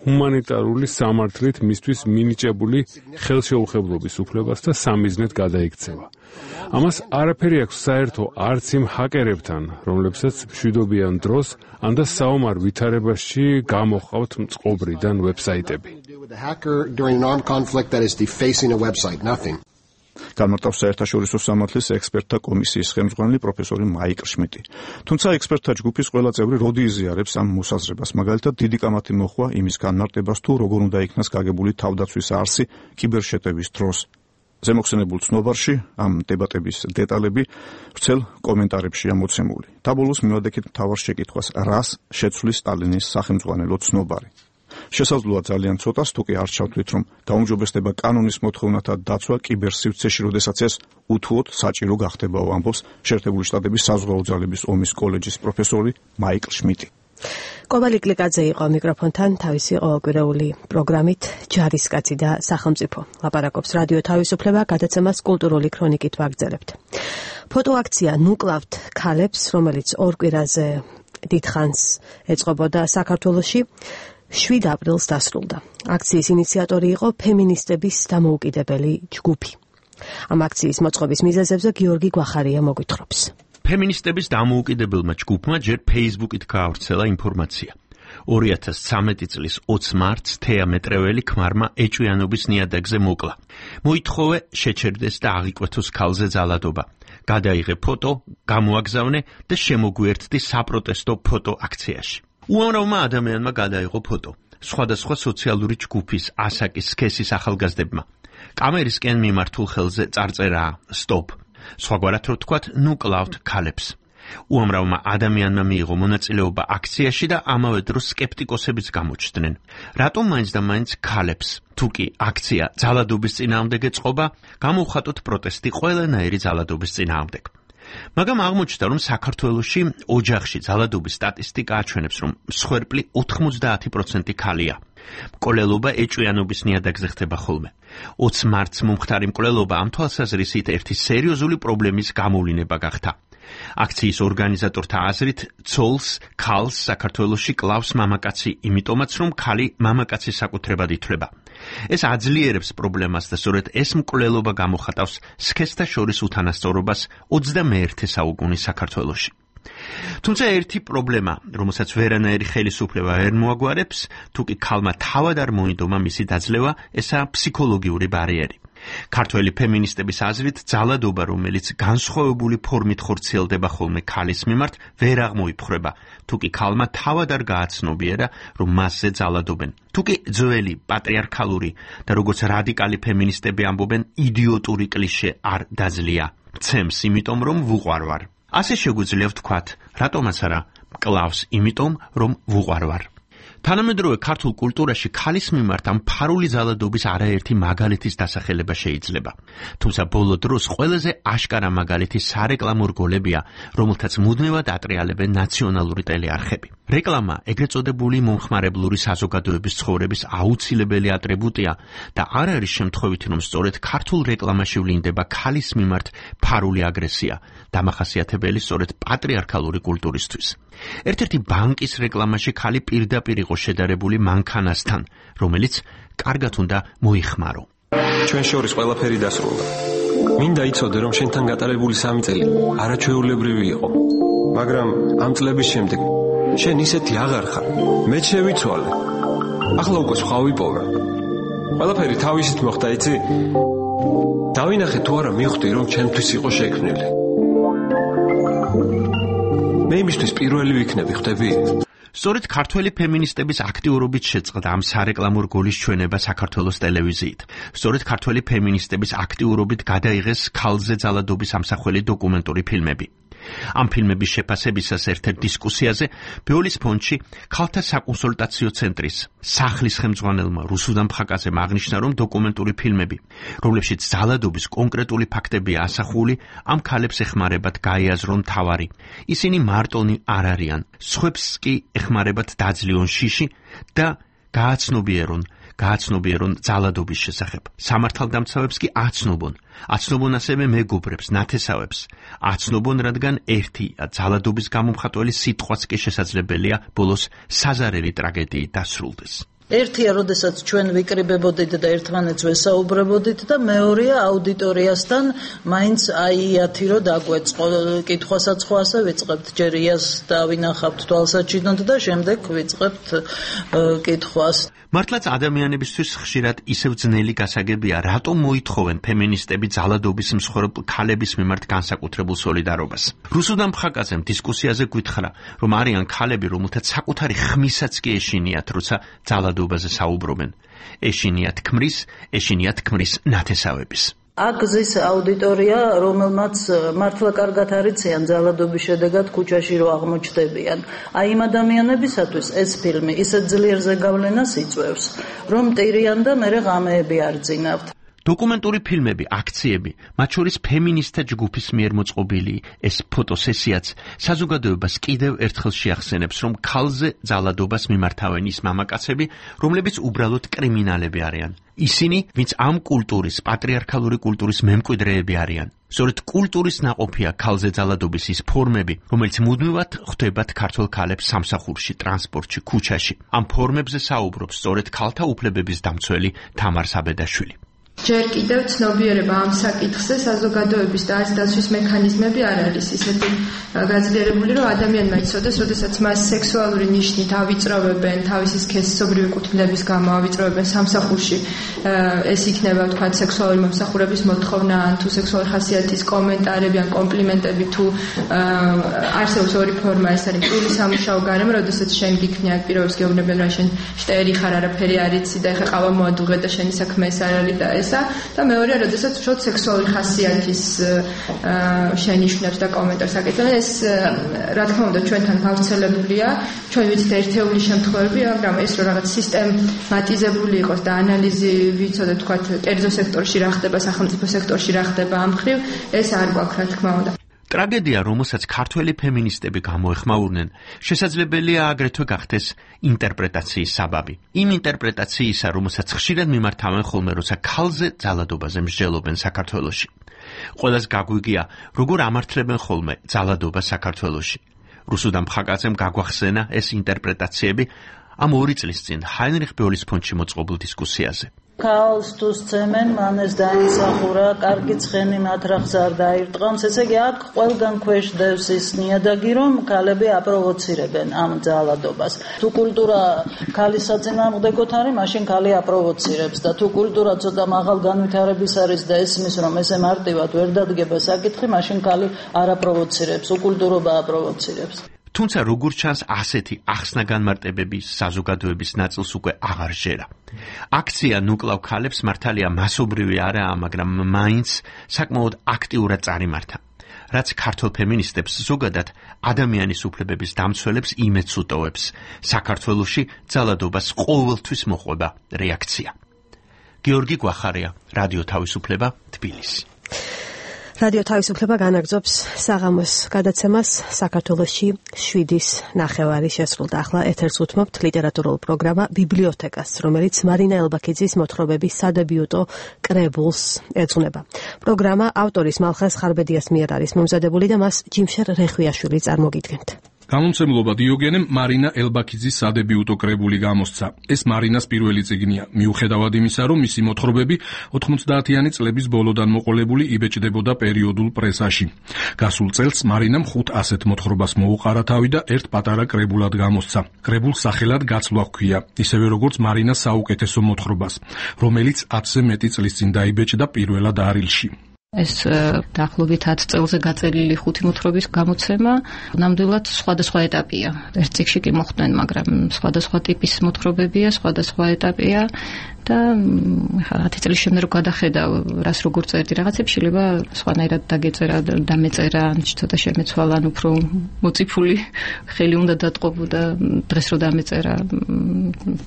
ჰუმანიტარული სამართლით მისთვის მინიჭებული ხელშეუხებლობის უფლებას და სამიზნედ გადაიქცევა. ამას არაფერი აქვს საერთო არც იმ ჰაკერებთან, რომლებსაც მშვიდობიან დროს ან და საომარ ვითარებაში გამოჰყავთ წყობრიდან ვებსაიტები. განმარტავს საერთაშორისო სამართლის ექსპერტთა კომისიის ხელმძღვანელი პროფესორი მაიკ შმიტი. თუმცა ექსპერტთა ჯგუფის ყველა წევრი როდი იზიარებს ამ მოსაზრებას, მაგალითად დიდი კამათი მოხვა იმის განმარტებას, თუ როგორ უნდა იქნას გაგებული თავდაცვის არსი კიბერშეტევის დროს. ზემოხსენებულ ცნობარში ამ დებატების დეტალები ვრცელ კომენტარებშია მოცემული. დაბოლოს მივადექით მთავარ შეკითხვას, რას შეცვლის სტალინის სახელმძღვანელო ცნობარი. შესაძლოა ძალიან ცოტას, თუ კი არ ჩავთვლით, რომ გაუმჯობესდება კანონის მოთხოვნათა დაცვა კიბერსივრცეში, როდესაც ეს უთუოდ საჭირო გახდებაო, ამბობს შეერთებული შტატების საზღვაო ძალების ომის კოლეჯის პროფესორი მაიკ შმიტი. კობალი კლიკაძე იყო მიკროფონთან თავისი ყოველკვირეული პროგრამით ჯარისკაცი და სახელმწიფო. ლაპარაკობს რადიო თავისუფლება, გადაცემას კულტურული ქრონიკით ვაგრძელებთ. ფოტოაქცია ნუკლავთ ქალებს, რომელიც ორ კვირაზე დიდხანს ეწყობოდა საქართველოში, შვიდ აპრილს დასრულდა. აქციის ინიციატორი იყო ფემინისტების დამოუკიდებელი ჯგუფი. ამ აქციის მოწყობის მიზეზებზე გიორგი გვახარია მოგვითხრობს. ფემინისტების დამოუკიდებელმა ჯგუფმა ჯერ Facebook-ით გაავრცელა ინფორმაცია. ორი ათას ცხრამეტი წლის ოცი მარტს თეა მეტრეველი ქმარმა ეჭვიანობის ნიადაგზე მოკლა. მოითხოვე შეჩერდეს და აღიკვეთოს ქალზე ძალადობა. გადაიღე ფოტო, გამოაგზავნე და შემოგვიერთდი საპროტესტო ფოტო აქციაში. უამრავმა ადამიანმა გადაიღო ფოტო. სხვადასხვა სოციალური ჯგუფის ასაკის სქესის ახალგაზრდებმა. კამერისკენ მიმართულ ხელზე წარწერაა სტოპ. სხვაგვარად რო თქვათ, ნუ კლავთ ქალებს. უამრავმა ადამიანმა მიიღო მონაწილეობა აქციაში და ამავე დროს სკეპტიკოსებიც გამოჩნდნენ. რატომ მაინც და მაინც ქალებს? თუ კი აქცია ძალადობის წინააღმდეგ ეწყობა, გამოვხატოთ პროტესტი ყველანაირი ძალადობის წინააღმდეგ. მაგრამ აღმოჩნდა, რომ საქართველოში ოჯახში ძალადობის სტატისტიკა აჩვენებს, რომ მსხვერპლი ოთხმოცდაათი პროცენტი ქალია. მკვლელობა ეჭვიანობის ნიადაგზე ხდება ხოლმე. ოცი მარტს მომხდარი მკვლელობა ამ თვალსაზრისით ერთი სერიოზული პრობლემის გამოვლინება გახდა. აქციის ორგანიზატორთა აზრით, ცოლს, ქალს საქართველოში კლავს მამაკაცი, იმიტომაც რომ ქალი მამაკაცის საკუთრებად ითვლება. ეს აძლიერებს პრობლემას და სწორედ ეს მკვლელობა გამოხატავს სქესთა შორის უთანასწორობას ოცდამეერთე საუკუნის საქართველოში. თუმცა ერთი პრობლემა, რომელსაც ვერანაირი ხელისუფლება ვერ მოაგვარებს, თუ კი ქალმა თავად არ მოინდომა მისი დაძლევა, ესაა ფსიქოლოგიური ბარიერი. ქართველი ფემინისტების აზრით, ძალადობა, რომელიც განსხვავებული ფორმით ხორციელდება ხოლმე ქალის მიმართ, ვერ აღმოიფხრება, თუკი ქალმა თავად არ გააცნობიერა, რომ მასზე ძალადობენ. თუკი ძველი პატრიარქალური და როგორც რადიკალი ფემინისტები ამბობენ, იდიოტური კლიშე არ დაძლია. მცემს იმიტომ, რომ ვუყვარვარ. ასე შეგვიძლია ვთქვათ, რატომაც არა, კლავს იმიტომ, რომ ვუყვარვარ. თანამედროვე ქართულ კულტურაში ქალის მიმართ ამ ფარული ძალადობის არაერთი მაგალითის დასახელება შეიძლება. თუმცა ბოლო დროს ყველაზე აშკარა მაგალითი სარეკლამო რგოლებია, რომელთაც მუდმივად ატრიალებენ ნაციონალური ტელეარხები. რეკლამა ეგრეთ წოდებული მომხმარებლური საზოგადოების ცხოვრების აუცილებელი ატრიბუტია და არ არის შემთხვევითი, რომ სწორედ ქართულ რეკლამაში ვლინდება ქალის მიმართ ფარული აგრესია, დამახასიათებელი სწორედ პატრიარქალური კულტურისთვის. ერთ-ერთი ბანკის რეკლამაში ქალი პირდაპირ იყო შედარებული მანქანასთან, რომელიც კარგად უნდა მოიხმარო. ჩვენ შორის ყველაფერი დასრულდა. მინდა იცოდე, რომ შენთან გატარებული სამი წელი არაჩვეულებრივი იყო. მაგრამ ამ წლების შემდეგ შენ ისეთი აღარ ხარ. მე შევიცვალე. ახლა უკვე სხვა ვიპოვე. ყველაფერი თავისით მოხდა, იცი? დავინახე თუ არა მივხვდი, რომ ჩემთვის იყო შექმნილი. მე იმისთვის პირველი ვიქნები, ხვდები? სწორედ ქართველი ფემინისტების აქტიურობით შეწყდა ამ სარეკლამო რგოლის ჩვენება საქართველოს ტელევიზიით. სწორედ ქართველი ფემინისტების აქტიურობით გადაიღეს ქალზე ძალადობის ამსახველი დოკუმენტური ფილმები. ამ ფილმების შეფასებისას ერთ-ერთ დისკუსიაზე ბეოლის ფონდში ქალთა საკონსულტაციო ცენტრის სახლის ხელმძღვანელმა რუსუდან ფხაკაძემ აღნიშნა, რომ დოკუმენტური ფილმები, რომლებშიც ძალადობის კონკრეტული ფაქტებია ასახული, ამ ქალებს ეხმარებათ გაიაზრონ თავარი. ისინი მარტონი არ არიან, სხვებს კი ეხმარებათ დაძლიონ შიში და გააცნობიერონ გააცნობიერონ ძალადობის შესახებ. სამართალდამცავებს კი აცნობონ. აცნობონ ასევე მეგობრებს, ნათესავებს. აცნობონ, რადგან ერთი ძალადობის გამომხატველი სიტყვაც კი შესაძლებელია ბოლოს საზარელი ტრაგედიით დასრულდეს. ერთია, როდესაც ჩვენ ვიკრიბებოდით და ერთმანეთს ვესაუბრებოდით და მეორეა აუდიტორიასთან მაინც აიათი რო დაგვეწყო. კითხვასაც ხო ასე ვიწყებთ, ჯერ იას დავინახავთ თვალსაჩინოდ და შემდეგ ვიწყებთ კითხვას. მართლაც ადამიანებისთვის ხშირად ისევ ძნელი გასაგებია, რატომ მოითხოვენ ფემინისტები ძალადობის მსხვერპლ ქალების მიმართ განსაკუთრებულ სოლიდარობას. რუსუდან ფხაკაძემ დისკუსიაზე გვითხრა, რომ არიან ქალები, რომელთაც საკუთარი ხმისაც კი ეშინიათ, როცა ძალადობაზე საუბრობენ. ეშინიათ ქმრის, ეშინიათ ქმრის ნათესავების. აქ ზის აუდიტორია, რომელმაც მართლა კარგად არიციან ძალადობის შედეგად ქუჩაში რო აღმოჩნდებიან. აი იმ ადამიანებისათვის ეს ფილმი ისეთ ძლიერ ზეგავლენას იწვევს, რომ ტირიან და მერე ღამეები არ ძინავთ. დოკუმენტური ფილმები, აქციები, მათ შორის ფემინისტთა ჯგუფის მიერ მოწყობილი ეს ფოტოსესიაც საზოგადოებას კიდევ ერთხელ შეახსენებს, რომ ქალზე ძალადობას მიმართავენ ის მამაკაცები, რომლებიც უბრალოდ კრიმინალები არიან. ისინი, ვინც ამ კულტურის, პატრიარქალური კულტურის მემკვიდრეები არიან. სწორედ კულტურის ნაყოფია ქალზე ძალადობის ის ფორმები, რომელიც მუდმივად ხვდებათ ქართველ ქალებს სამსახურში, ტრანსპორტში, ქუჩაში. ამ ფორმებზე საუბრობს სწორედ ქალთა უფლებების დამცველი თამარ საბედაშვილი. ჯერ კიდევ ცნობიერება ამ საკითხზე საზოგადოების და აზრის დაცვის მექანიზმები არ არის ისეთი გაძლიერებული, რომ ადამიანმა იცოდეს, როდესაც მას სექსუალური ნიშნით ავიწროვებენ, თავისი სქესობრივი კუთვნილების გამო ავიწროვებენ სამსახურში, ეს იქნება თქვა სექსუალური მომსახურების მოთხოვნა, ან თუ სექსუალური ხასიათის კომენტარები ან კომპლიმენტები, თუ არსებობს ორი ფორმა, ეს არის პირი სამუშაო გარემო, როდესაც შენ გიქნი აქ პირობებს გეუბნებიან, რომ შენ შტერი ხარ, არაფერი არ იცი და ეხა ყავა მოადუღე და შენი საქმე ეს არ არის და ესა და მეორეა, როდესაც უშუალოდ სექსუალური ხასიათის შენიშვნებს და კომენტარს აკეთებენ. ეს რა თქმა უნდა ჩვენთან გავრცელებულია, ჩვენ ვიცით ერთეული შემთხვევები, მაგრამ ეს რომ რაღაც სისტემატიზებული იყოს და ანალიზი ვიცოდეთ თქვა კერძო სექტორში რა ხდება, სახელმწიფო სექტორში რა ხდება ამ მხრივ, ეს არ გვაქვს რა თქმა უნდა. ტრაგედია, რომელსაც ქართველი ფემინისტები გამოეხმაურნენ, შესაძლებელია აგრეთვე გახდეს ინტერპრეტაციის საბაბი. იმ ინტერპრეტაციისა, რომელსაც ხშირად მიმართავენ ხოლმე, როცა ქალზე ძალადობაზე მსჯელობენ საქართველოში. ყველას გაგვიგია, როგორ ამართლებენ ხოლმე ძალადობას საქართველოში. რუსუდან ფხაკაძემ გაგვახსენა ეს ინტერპრეტაციები ამ ორი წლის წინ ჰაინრიხ ბეოლის ფონდში მოწყობილ დისკუსიაზე. ქაოლს თუ სცემენ, მან ეს დაიმსახურა, კარგი ცხენი მათ რახს არ დაირტყამს, ესე იგი აქ ყველგან ქვეშ დევს ის ნიადაგი, რომ ქალები აპროვოცირებენ ამ ძალადობას. თუ კულტურა ქალის საწინააღმდეგოთ არის, მაშინ ქალი აპროვოცირებს და თუ კულტურა ცოტა მაღალ განვითარების არის და ესმის, რომ ესე მარტივად ვერ დადგება საკითხი, მაშინ ქალი არ აპროვოცირებს, უკულტურობა აპროვოცირებს. თუმცა როგორც ჩანს, ასეთი ახსნა-განმარტებების საზოგადოების ნაწილს უკვე აღარ ჟერა. აქცია ნუკლავ ქალებს მართალია მასობრივი არაა, მაგრამ მაინც საკმაოდ აქტიურად წარიმართა. რაც ქართულ ფემინისტებს ზოგადად ადამიანის უფლებების დამცველებს იმედს უტოვებს. საქართველოში ძალადობას ყოველთვის მოყვება რეაქცია. გიორგი გვახარია, რადიო თავისუფლება, თბილისი. რადიო თავისუფლება განაგრძობს საღამოს გადაცემას. საქართველოში შვიდის ნახევარი შესრულდა. ახლა ეთერს უთმობთ ლიტერატურულ პროგრამა ბიბლიოთეკას, რომელიც მარინა ელბაქიძის მოთხრობების სადებიუტო კრებულს ეძღვნება. პროგრამა ავტორის მალხაზ ხარბედიას მიერ არის მომზადებული და მას ჯიმშერ რეხვიაშვილი წარმოგიდგენთ. გამომცემლობა დიოგენემ მარინა ელბაქიძის სადებიუტო კრებული გამოსცა. ეს მარინას პირველი წიგნია, მიუხედავად იმისა, რომ მისი მოთხრობები ოთხმოცდაათიანი წლების ბოლოდან მოყოლებული იბეჭდებოდა პერიოდულ პრესაში. გასულ წელს მარინამ ხუთ ასეთ მოთხრობას მოუყარა თავი და ერთ პატარა კრებულად გამოსცა. კრებულს სახელად გაცვლა ჰქვია, ისევე როგორც მარინას საუკეთესო მოთხრობას, რომელიც ათზე მეტი წლის წინ დაიბეჭდა პირველად არილში. ეს დაახლოებით ათ წელზე გაწერილი ხუთი მოთხრობის გამოცემა ნამდვილად სხვადასხვა ეტაპია. ერთ წიგნში კი მოხდნენ, მაგრამ სხვადასხვა ტიპის მოთხრობებია, სხვადასხვა ეტაპია და ხა ათი წლის შემდეგ რო გადახედავ, რას როგორ წერდი რაღაცებს, შეიძლება სხვანაირად დაგეწერა და მეწერა, ან ცოტა შემეცვალა, ან უფრო მოციფული ხელი უნდა დატყობო და დღეს რო დამეწერა,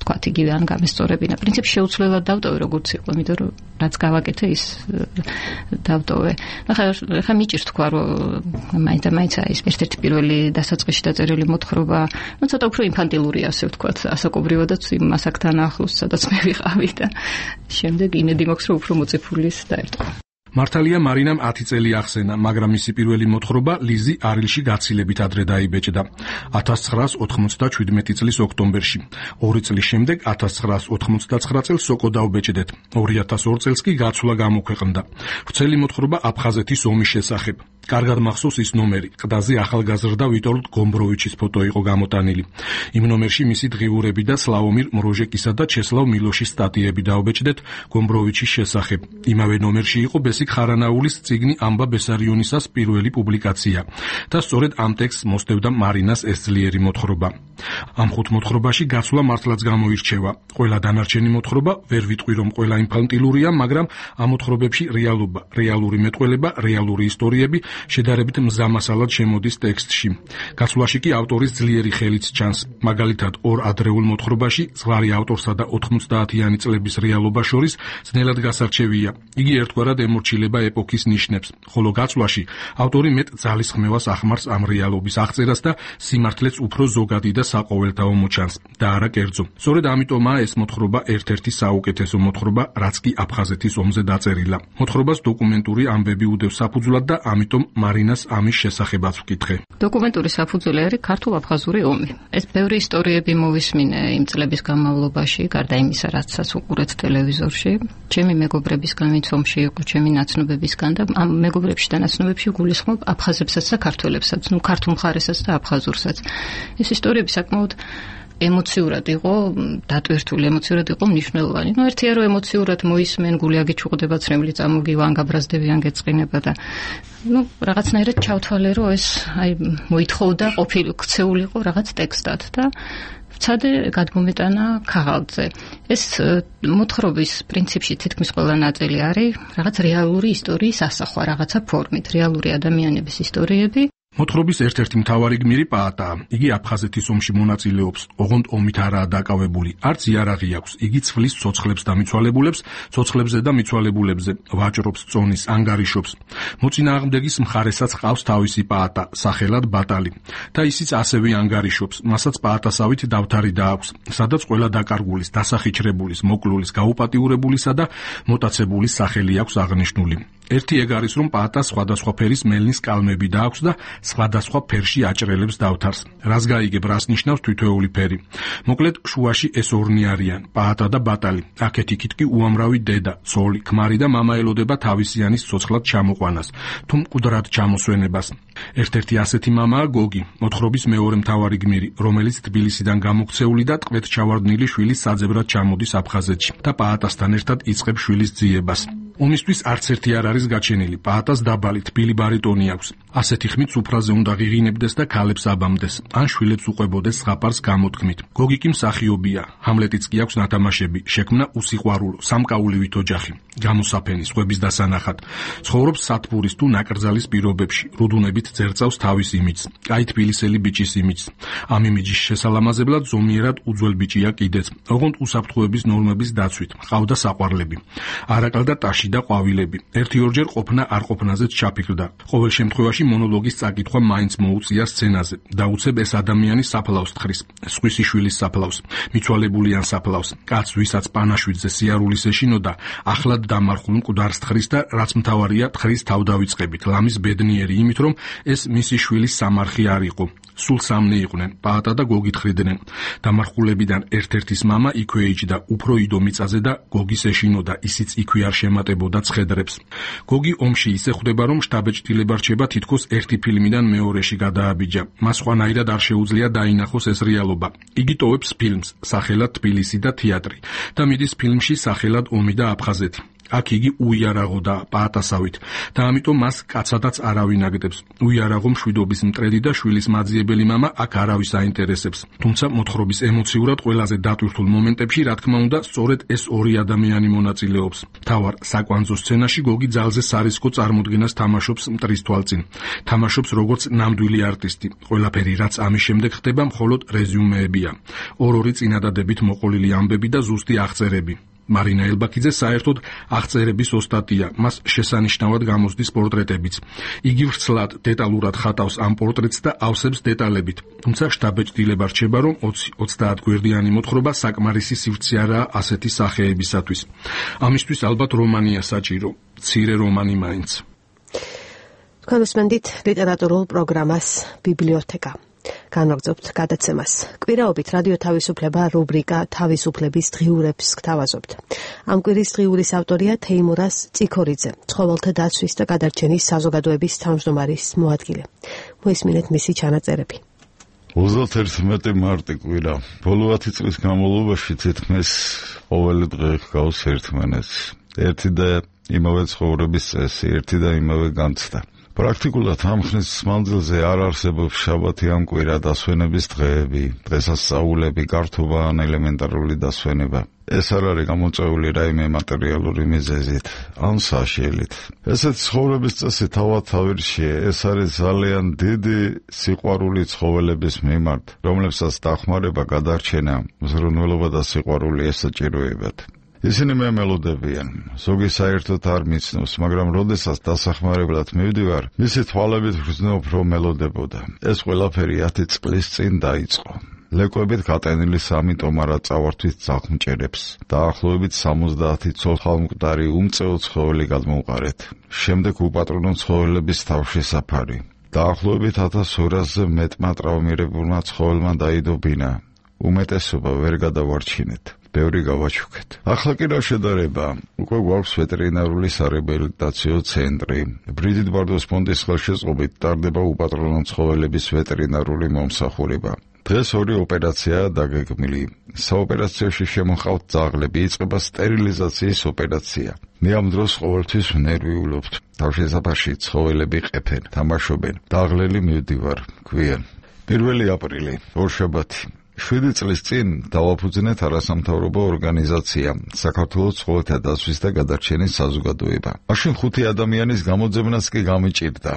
თქვათ იგივე ან გამესწორებინა. პრინციპში შეუცვლელად დავტოვე როგორც იყო, იმიტომ რომ რაც გავაკეთე ის დავტოვე. ახლა ახლა მიჭირს თქვა, რომ მაინც და მაინც ის ერთ-ერთი პირველი დასაწყისში დაწერილი მოთხრობა, ну ცოტა უფრო ინფანტილურია, ასე ვთქვათ, ასაკობრივადაც იმ ასაკთან ახლოს, სადაც მე ვიყავი და შემდეგ იმედი მაქვს, რომ უფრო მოწიფულის დაერტყა. მართალია მარინამ ათი წელი ახსენა, მაგრამ მისი პირველი მოთხრობა ლიზი არილში გაცილებით ადრე დაიბეჭდა. ათას ცხრაას ოთხმოცდაშვიდმეტი წლის ოქტომბერში. ორი წლის შემდეგ ათას ცხრაას ოთხმოცდაცხრა წელს სოკო დავბეჭდეთ. ორი ათას ორ წელს კი გაცვლა გამოქვეყნდა. ვრცელი მოთხრობა აფხაზეთის ომის შესახებ. კარგად მახსოვს ის ნომერი, ყდაზე ახალგაზრდა ვიტოლდ გომბროვიჩის ფოტო იყო გამოტანილი. იმ ნომერში მისი დღიურები და სლავომირ მროჟეკისა და ჩესლავ მილოშის სტატიები დავბეჭდეთ გომბროვიჩის შესახებ. იმავე ნომერში იყო ბესიკ ხარანაულის წიგნი ამბა ბესარიონისას პირველი პუბლიკაცია და სწორედ ამ ტექსტს მოსდევდა მარინას ეს ძლიერი მოთხრობა. ამ ხუთ მოთხრობაში გაცვლა მართლაც გამოირჩევა. ყველა დანარჩენი მოთხრობა ვერ ვიტყვი რომ ყველა ინფანტილურია, მაგრამ ამ მოთხრობებში რეალობა, რეალური მეტყველება, რეალური ისტორიები შედარებით მზამასალად შემოდის ტექსტში. გაცვლაში კი ავტორის ძლიერი ხელიც ჩანს. მაგალითად, ორ ადრეულ მოთხრობაში ზღვარი ავტორსა და ოთხმოცდაათიანი წლების რეალობა შორის ძნელად გასარჩევია. იგი ერთგვარად ემორჩილება ეპოქის ნიშნებს, ხოლო გაცვლაში ავტორი მეტ ძალისხმევას ახმარს ამ რეალობის აღწერას და სიმართლეც უფრო ზოგადი და საყოველთაო მოჩანს და არა კერძო. სწორედ ამიტომაა ეს მოთხრობა ერთ-ერთი საუკეთესო მოთხრობა, რაც კი აფხაზეთის ომზე დაწერილა. მოთხრობას დოკუმენტური ამბები უდევს საფუძვლად და ამიტომ მარინას ამის შესახებაც ვკითხე. დოკუმენტური საფუძველი არის ქართულ-აფხაზური ომი. ეს ბევრი ისტორიები მოვისმინე იმ წლების განმავლობაში, გარდა იმისა, რაცაც უყურეთ ტელევიზორში. ჩემი მეგობრებისგან, ვინც ომში იყო, ჩემი ნაცნობებისგან და ამ მეგობრებში და ნაცნობებში გულისხმობ აფხაზებსაც და ქართველებსაც, ну ქართულ მხარესაც და აფხაზურსაც. ეს ისტორიები საკმაოდ ემოციურად იყო დატვირთული, ემოციურად იყო მნიშვნელოვანი. ну ერთია რომ ემოციურად მოისმენ, გული აგიჩუყდება, ცრემლი წამოგივა, გაბრაზდებიან, გეწყინება და ну რაღაცნაირად ჩავთვალე რომ ეს აი მოითხოვდა ყოფილი ქცეულიყო რაღაც ტექსტად და ვცადე გადმომეტანა ქაღალდზე. ეს მოთხრობის პრინციპში თითქმის ყველა ნაწილი არის რაღაც რეალური ისტორიის ასახვა, რაღაცა ფორმით, რეალური ადამიანების ისტორიები. მოთხრობის ერთ-ერთი მთავარი გმირი პაატაა. იგი აფხაზეთის ომში მონაწილეობს, ოღონდ ომით არაა დაკავებული. არც იარაღი აქვს. იგი ცვლის ცოცხლებს და მიცვალებულებს, ცოცხლებზე და მიცვალებულებზე, ვაჭრობს, წონის, ანგარიშობს. მოწინააღმდეგის მხარესაც ყავს თავისი პაატა, სახელად ბატალი. და ისიც ასევე ანგარიშობს. მასაც პაატასავით დავთარი დააქვს, სადაც ყველა დაკარგულის, დასახიჩრებულის, მოკლულის, გაუპატიურებულისა და მოტაცებულის სახელი აქვს აღნიშნული. ერთი ეგ არის, რომ პაატას სხვადასხვა ფერის მელნის კალმები დააქვს და სხვადასხვა ფერში აჭრელებს დავთარს. რას გაიგებ, რას ნიშნავს თითოეული ფერი? მოკლედ, შუაში ეს ორნი არიან, პაატა და ბატალი. აქეთ-იქით კი უამრავი დედა, ცოლი, ქმარი და მამა ელოდება თავისიანის ცოცხლად ჩამოყვანას, თუ მკვდრად ჩამოსვენებას. ერთ-ერთი ასეთი მამაა გოგი, მოთხრობის მეორე მთავარი გმირი, რომელიც თბილისიდან გამოქცეული და ტყვედ ჩავარდნილი შვილის საძებრად ჩამოდის აფხაზეთში და პაატასთან ერთად იწყებს შვილის ძიებას. ომისთვის არც ერთი არ არის გაჩენილი. პაატას დაბალი თბილი ბარიტონი აქვს. ასეთი ხმით სუფრაზე უნდა ღიღინებდეს და ქალებს აბამდეს, ან შვილებს უყვებოდეს ზღაპარს გამოთქმით. გოგი კი მსახიობია, ჰამლეტიც კი აქვს ნათამაშები, შექმნა უსიყვარულო, სამკაულივით ოჯახი, გამოსაფენი, სხვების დასანახად. ცხოვრობს სათბურის თუ ნაკრძალის პირობებში, რუდუნებით ძერწავს თავის იმიჯს, კაი თბილისელი ბიჭის იმიჯს. ამ იმიჯის შესალამაზებლად ზომიერად უძველ ბიჭია კიდეც, ოღონდ უსაფრთხოების ნორმების დაცვით, ყავდა საყვარლები. არაკალ და ტაში და ყვავილები. ერთი-ორჯერ ყოფნა არ ყოფნაზეც ჩაფიქრდა. ყოველ შემთხვევაში მონოლოგის წაკითხვა მაინც მოუწია სცენაზე. დაუცებ ეს ადამიანი საფლავს თხრის, სხვისი შვილის საფლავს, მიცვალებულიან საფლავს, კაც ვისაც პანაშვიდზე სიარულის ეშინოდა, ახლად დამარხულ მკვდარს თხრის და რაც მთავარია, თხრის თავდავიწყებით, ლამის ბედნიერი იმით, რომ ეს მისი შვილის სამარხი არ იყო. სულ სამნი იყვნენ, პაატა და გოგი თხრიდნენ. დამარხულებიდან ერთ-ერთის მამა იქვე იჯდა, უფრო იდო მიწაზე და გოგის ეშინოდა, ისიც იქვე არ შემატებოდა ცხედრებს. გოგი ომში ისე ხვდება, რომ შტაბეჭდილება რჩება თითქოს ერთი ფილმიდან მეორეში გადააბიჯა. მას სხვანაირად არ შეუძლია დაინახოს ეს რეალობა. იგი ტოვებს ფილმს, სახელად თბილისი და თეატრი და მიდის ფილმში სახელად ომი და აფხაზეთი. აქ იგი უიარაღო და პაატასავით და ამიტომ მას კაცადაც არავინ აგდებს. უიარაღო მშვიდობის მტრედი და შვილის მაძიებელი მამა აქ არავის აინტერესებს. თუმცა მოთხრობის ემოციურად ყველაზე დატვირთულ მომენტებში, რა თქმა უნდა, სწორედ ეს ორი ადამიანი მონაწილეობს. თავარ საკვანძო სცენაში გოგი ძალზე სარისკო წარმოდგენას თამაშობს მტრის თვალწინ. თამაშობს როგორც ნამდვილი არტისტი. ყველაფერი, რაც ამის შემდეგ ხდება, მხოლოდ რეზიუმეებია. ორ-ორი წინადადებით მოყოლილი ამბები და ზუსტი აღწერები. მარინა ელბაქიძე საერთოდ აღწერების ოსტატია, მას შესანიშნავად გამოსდის პორტრეტებიც. იგი ვრცლად, დეტალურად ხატავს ამ პორტრეტს და ავსებს დეტალებით. თუმცა შტაბეჭდილება რჩება, რომ ოცდაათ გვერდიანი მოთხრობა საკმარისი სივრცე არაა ასეთი სახეებისათვის. ამისთვის ალბათ რომანია საჭირო, მცირე რომანი მაინც. თქვენ უსმენთ ლიტერატურულ პროგრამას ბიბლიოთეკა. განვაგრძობთ გადაცემას. კვირაობით რადიო თავისუფლება რუბრიკა თავისუფლების დღიურებს გთავაზობთ. ამ კვირის დღიურის ავტორია თეიმურაზ წიქორიძე, ცხოველთა დაცვის და გადარჩენის საზოგადოების თავმჯდომარის მოადგილე. მოისმინეთ მისი ჩანაწერები. ოცდაერთი მარტი კვირა. ბოლო ათი წლის განმავლობაში თითქმის ყოველი დღე ჰგავს ერთმანეთს. ერთი და იმავე ცხოვრების წესი, ერთი და იმავე განცდა. პრაქტიკულად ამ ხნის მანძილზე არ არსებობს შაბათი ამ კვირა, დასვენების დღეები, დღესასწაულები, გართობა ან ელემენტარული დასვენება. ეს არ არის გამოწვეული რაიმე მატერიალური მიზეზით, ან საშიელით. ესეთ ცხოვრების წესი თავად თავირშია, ეს არის ძალიან დიდი სიყვარული ცხოველების მიმართ, რომლებსაც დახმარება, გადარჩენა, მზრუნველობა და სიყვარული ესაჭიროებათ. ისინი მემელოდებიან, ზოგი საერთოდ არ მიცნობს, მაგრამ როდესაც დასახმარებლად მივდივარ, მისი თვალებით ვგრძნობ, რომ მელოდებოდა. ეს ყველაფერი ათი წლის წინ დაიწყო. ლეკვებით გატენილი სამი ტომარა წავართვის ძაღლმჭერებს. დაახლოებით სამოცდაათი ცოცხალმკვდარი უმწეო ცხოველი გადმოვყარეთ. შემდეგ უპატრონო ცხოველების თავშესაფარი. დაახლოებით ათას ორასზე მეტმა ტრავმირებულმა ცხოველმა დაიდო ბინა. უმეტესობა ვერ გადავარჩინეთ. ბევრი გავაჩუქეთ. ახლა კი რა შედარება? უკვე გვაქვს ვეტერინარული სარეაბილიტაციო ცენტრი. ბრიდიტ ბარდოს ფონდის ხელშეწყობით ტარდება უპატრონო ცხოველების ვეტერინარული მომსახურება. დღეს ორი ოპერაციაა დაგეგმილი. საოპერაციოში შემოჰყავთ ძაღლები, იწყება სტერილიზაციის ოპერაცია. მე ამ დროს ყოველთვის ვნერვიულობთ. თავშესაფარში ცხოველები ყეფენ, თამაშობენ. დაღლელი მივდივარ, გვიან. პირველი აპრილი, ორშაბათი. შვიდი წლის წინ დავაფუძნეთ არასამთავრობო ორგანიზაცია საქართველოს ცხოველთა დაცვის და გადარჩენის საზოგადოება. მაშინ ხუთი ადამიანის გამოძებნაც კი გამიჭირდა.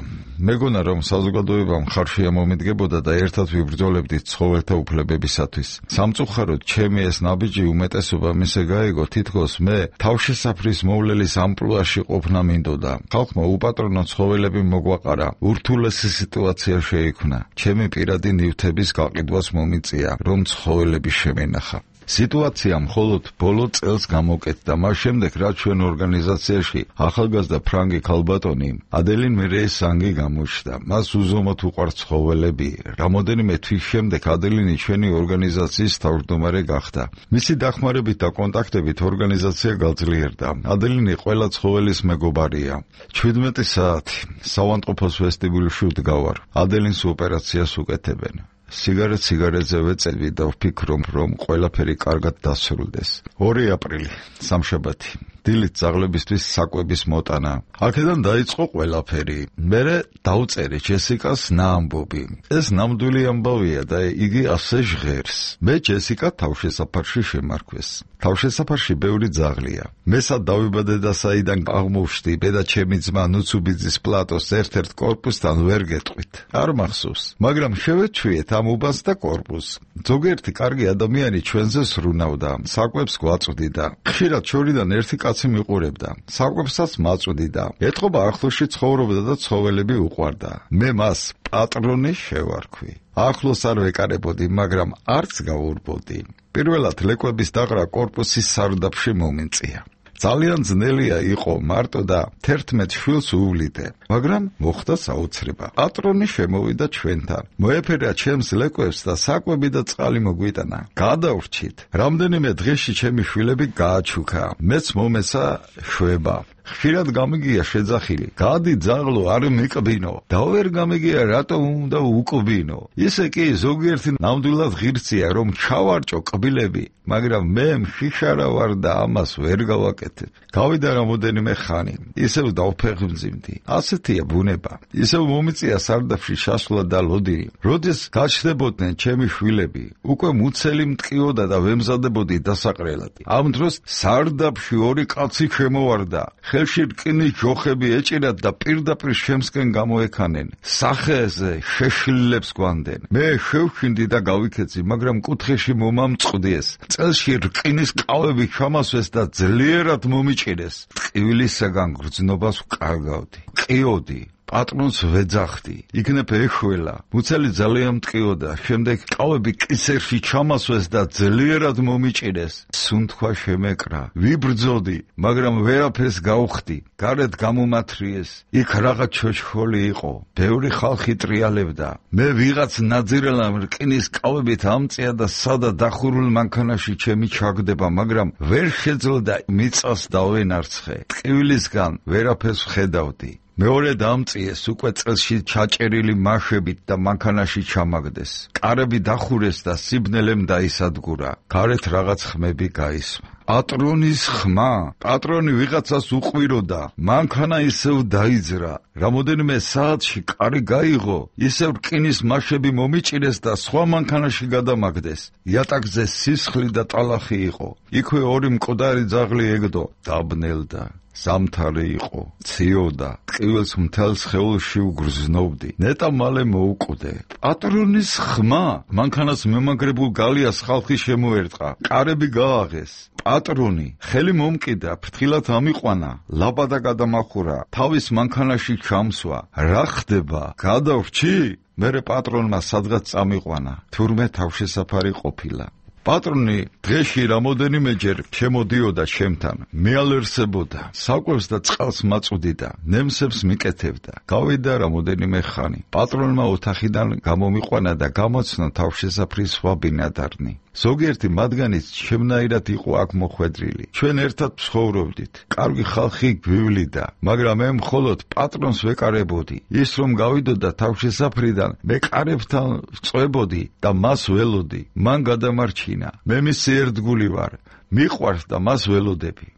მეგონა რომ საზოგადოებამ ხარშია მომიდგებოდა და ერთად ვიბრძოლებდით ცხოველთა უფლებებისათვის. სამწუხაროდ ჩემი ეს ნაბიჯი უმეტესობა მისე გაიგო, თითქოს მე თავშესაფრის მოვლელის ამპლუაში ყოფნა მინდოდა. ხალხმა უპატრონო ცხოველები მოგვაყარა, ურთულესი სიტუაცია შეიქმნა. ჩემი პირადი ნივთების გაყიდვას მომიწია, რომ ცხოველები შემენახა. სიტუაცია მხოლოდ ბოლო წელს გამოკეთდა, მას შემდეგ რაც ჩვენ ორგანიზაციაში ახალგაზრდა ფრანგი ქალბატონი ადელინ მერეესანგი გამოჩნდა. მას უზომოდ უყვარს ცხოველები. რამოდენიმე თვის შემდეგ ადელინი ჩვენი ორგანიზაციის თავმჯდომარე გახდა. მისი დახმარებით და კონტაქტებით ორგანიზაცია გაძლიერდა. ადელინი ყველა ცხოველის მეგობარია. ჩვიდმეტი საათი საავადმყოფოს ვესტიბიულში ვდგავარ. ადელინს ოპერაციას უკეთებენ. სიგარეტ სიგარეტზე ვეწევი და ვფიქრობ, რომ ყველაფერი კარგად დასრულდეს. ორი აპრილი, სამშაბათი. დილით ძაღლებისთვის საკვების მოტანა. აქედან დაიწყო ყველაფერი. მერე დაუწერე ჯესიკას ნაამბობი. ეს ნამდვილი ამბავია და იგი ასე ჟღერს. მე ჯესიკა თავშესაფარში შემარქვეს. თავშესაფარში ბევრი ძაღლია. მესად დავიბადე და საიდან აღმოვშდი, ბედა ჩემი ძმა ნუცუბიძის პლატოს ერთ-ერთ კორპუსთან ვერ გეტყვით. არ მახსოვს, მაგრამ შევეჩვიეთ ამ უბანს და კორპუსს. ზოგიერთი კარგი ადამიანი ჩვენზე სრუნავდა, საკვებს გვაწვდიდა. ხშირად შორიდან ერთი კაცი მიყურებდა. საკვებსაც მაწვდიდა. ეთყობა ახლოში ცხოვრობდა და ცხოველები უყვარდა. მე მას პატრონი შევარქვი. ახლოს არ ვეკარებოდი, მაგრამ არც გაურბოდი. პირველად ლეკვების დაყრა კორპუსის სარდაფში მომენწია. ძალიან ძნელია იყო მარტო და თერთმეტ შვილს უვლიდე, მაგრამ მოხდა საოცრება. პატრონი შემოვიდა ჩვენთან. მოეფერა ჩემს ლეკვებს და საკვები და წყალი მოგვიტანა. გადავრჩით. რამდენიმე დღეში ჩემი შვილები გააჩუქა. მეც მომესა შვება. ხშირად გამიგია შეძახილი. გადი ძაღლო, არ მიკბინო. და ვერ გამიგია რატომ უნდა უკბინო. ისე კი ზოგიერთი ნამდვილად ღირსია, რომ ჩავარჭო კბილები, მაგრამ მე მშიშარა ვარ და ამას ვერ გავაკეთებ. გავიდა რამოდენიმე ხანი, ისევ დავფეხმძიმდი. ასეთია ბუნება. ისევ მომიწია სარდაფში შასვლა და ლოდინი. როდის გაჩნდებოდნენ ჩემი შვილები, უკვე მუცელი მტკიოდა და ვემზადებოდი დასაყრელად. ამ დროს სარდაფში ორი კაცი შემოვარდა. ხელში რკინის ჯოხები ეჭირათ და პირდაპირ შემსკენ გამოექანენ. სახეზე შეშლილებს გვანდნენ. მე შევშინდი და გავიქეცი, მაგრამ კუთხეში მომამწყდეს. წელში რკინის ყავები ჩამასვეს და ძლიერად მომიჭირეს. ტკივილისაგან გრძნობას ვკარგავდი. ყიოდი. პატრონს ვეძახდი. იქნებ ეშველა. მუცელი ძალიან მტკიოდა. შემდეგ ყავები კისერში ჩამასვეს და ძლიერად მომიჭირეს. სუნთქვა შემეკრა. ვიბრძოდი, მაგრამ ვერაფერს გავხდი. გარეთ გამომათრიეს. იქ რაღაც ჩოჩხოლი იყო. ბევრი ხალხი ტრიალებდა. მე ვიღაც ნაძირელა რკინის ყავებით ამწია და სადა დახურულ მანქანაში ჩემი ჩაგდება, მაგრამ ვერ შეძლო მიწას დავენარცხე. ტკივილისგან ვერაფერს ვხედავდი. მეორე დამწიეს უკვე წელში ჩაჭერილი მაშებით და მანქანაში ჩამაგდეს. კარები დახურეს და სიბნელემ დაისადგურა. გარეთ რაღაც ხმები გაისმა. პატრონის ხმა. პატრონი ვიღაცას უყვიროდა. მანქანა ისევ დაიძრა. რამოდენიმე საათში კარი გაიღო, ისევ რკინის მაშები მომიჭირეს და სხვა მანქანაში გადამაგდეს. იატაკზე სისხლი და ტალახი იყო. იქვე ორი მკვდარი ძაღლი ეგდო. დაბნელდა. სამთარი იყო, ციოდა, ტკივილს მთელ სხეულში უგრძნობდი. ნეტა მალე მოუკვდე. პატრონის ხმა. მანქანას მემაგრებულ გალიას ხალხი შემოერტყა. კარები გააღეს. პატრონი ხელი მომკიდა, ფრთხილად ამიყვანა, ლაბადა გადამახურა, თავის მანქანაში ჩამსვა. რა ხდება? გადავრჩი? მერე პატრონმა სადღაც წამიყვანა. თურმე თავშესაფარი ყოფილა. პატრონი დღეში რამოდენიმეჯერ შემოდიოდა ჩემთან, მეალერსებოდა, საკვებს და წყალს მაწვდიდა, ნემსებს მიკეთებდა. გავიდა რამოდენიმე ხანი. პატრონმა ოთახიდან გამომიყვანა და გამოცნა თავშესაფრის სხვა ბინადარნი. ზოგიერთი მათგანიც შემნაირად იყო აქ მოხვედრილი. ჩვენ ერთად ვცხოვრობდით. კარგი ხალხი გვივლიდა, მაგრამ მე მხოლოდ პატრონს ვეკარებოდი. ის რომ გავიდოდა თავშესაფრიდან, მე კარებთან ვწვებოდი და მას ველოდი. მან გადამარჩინა. მე მისი ერთგული ვარ. მიყვარს და მას ველოდები.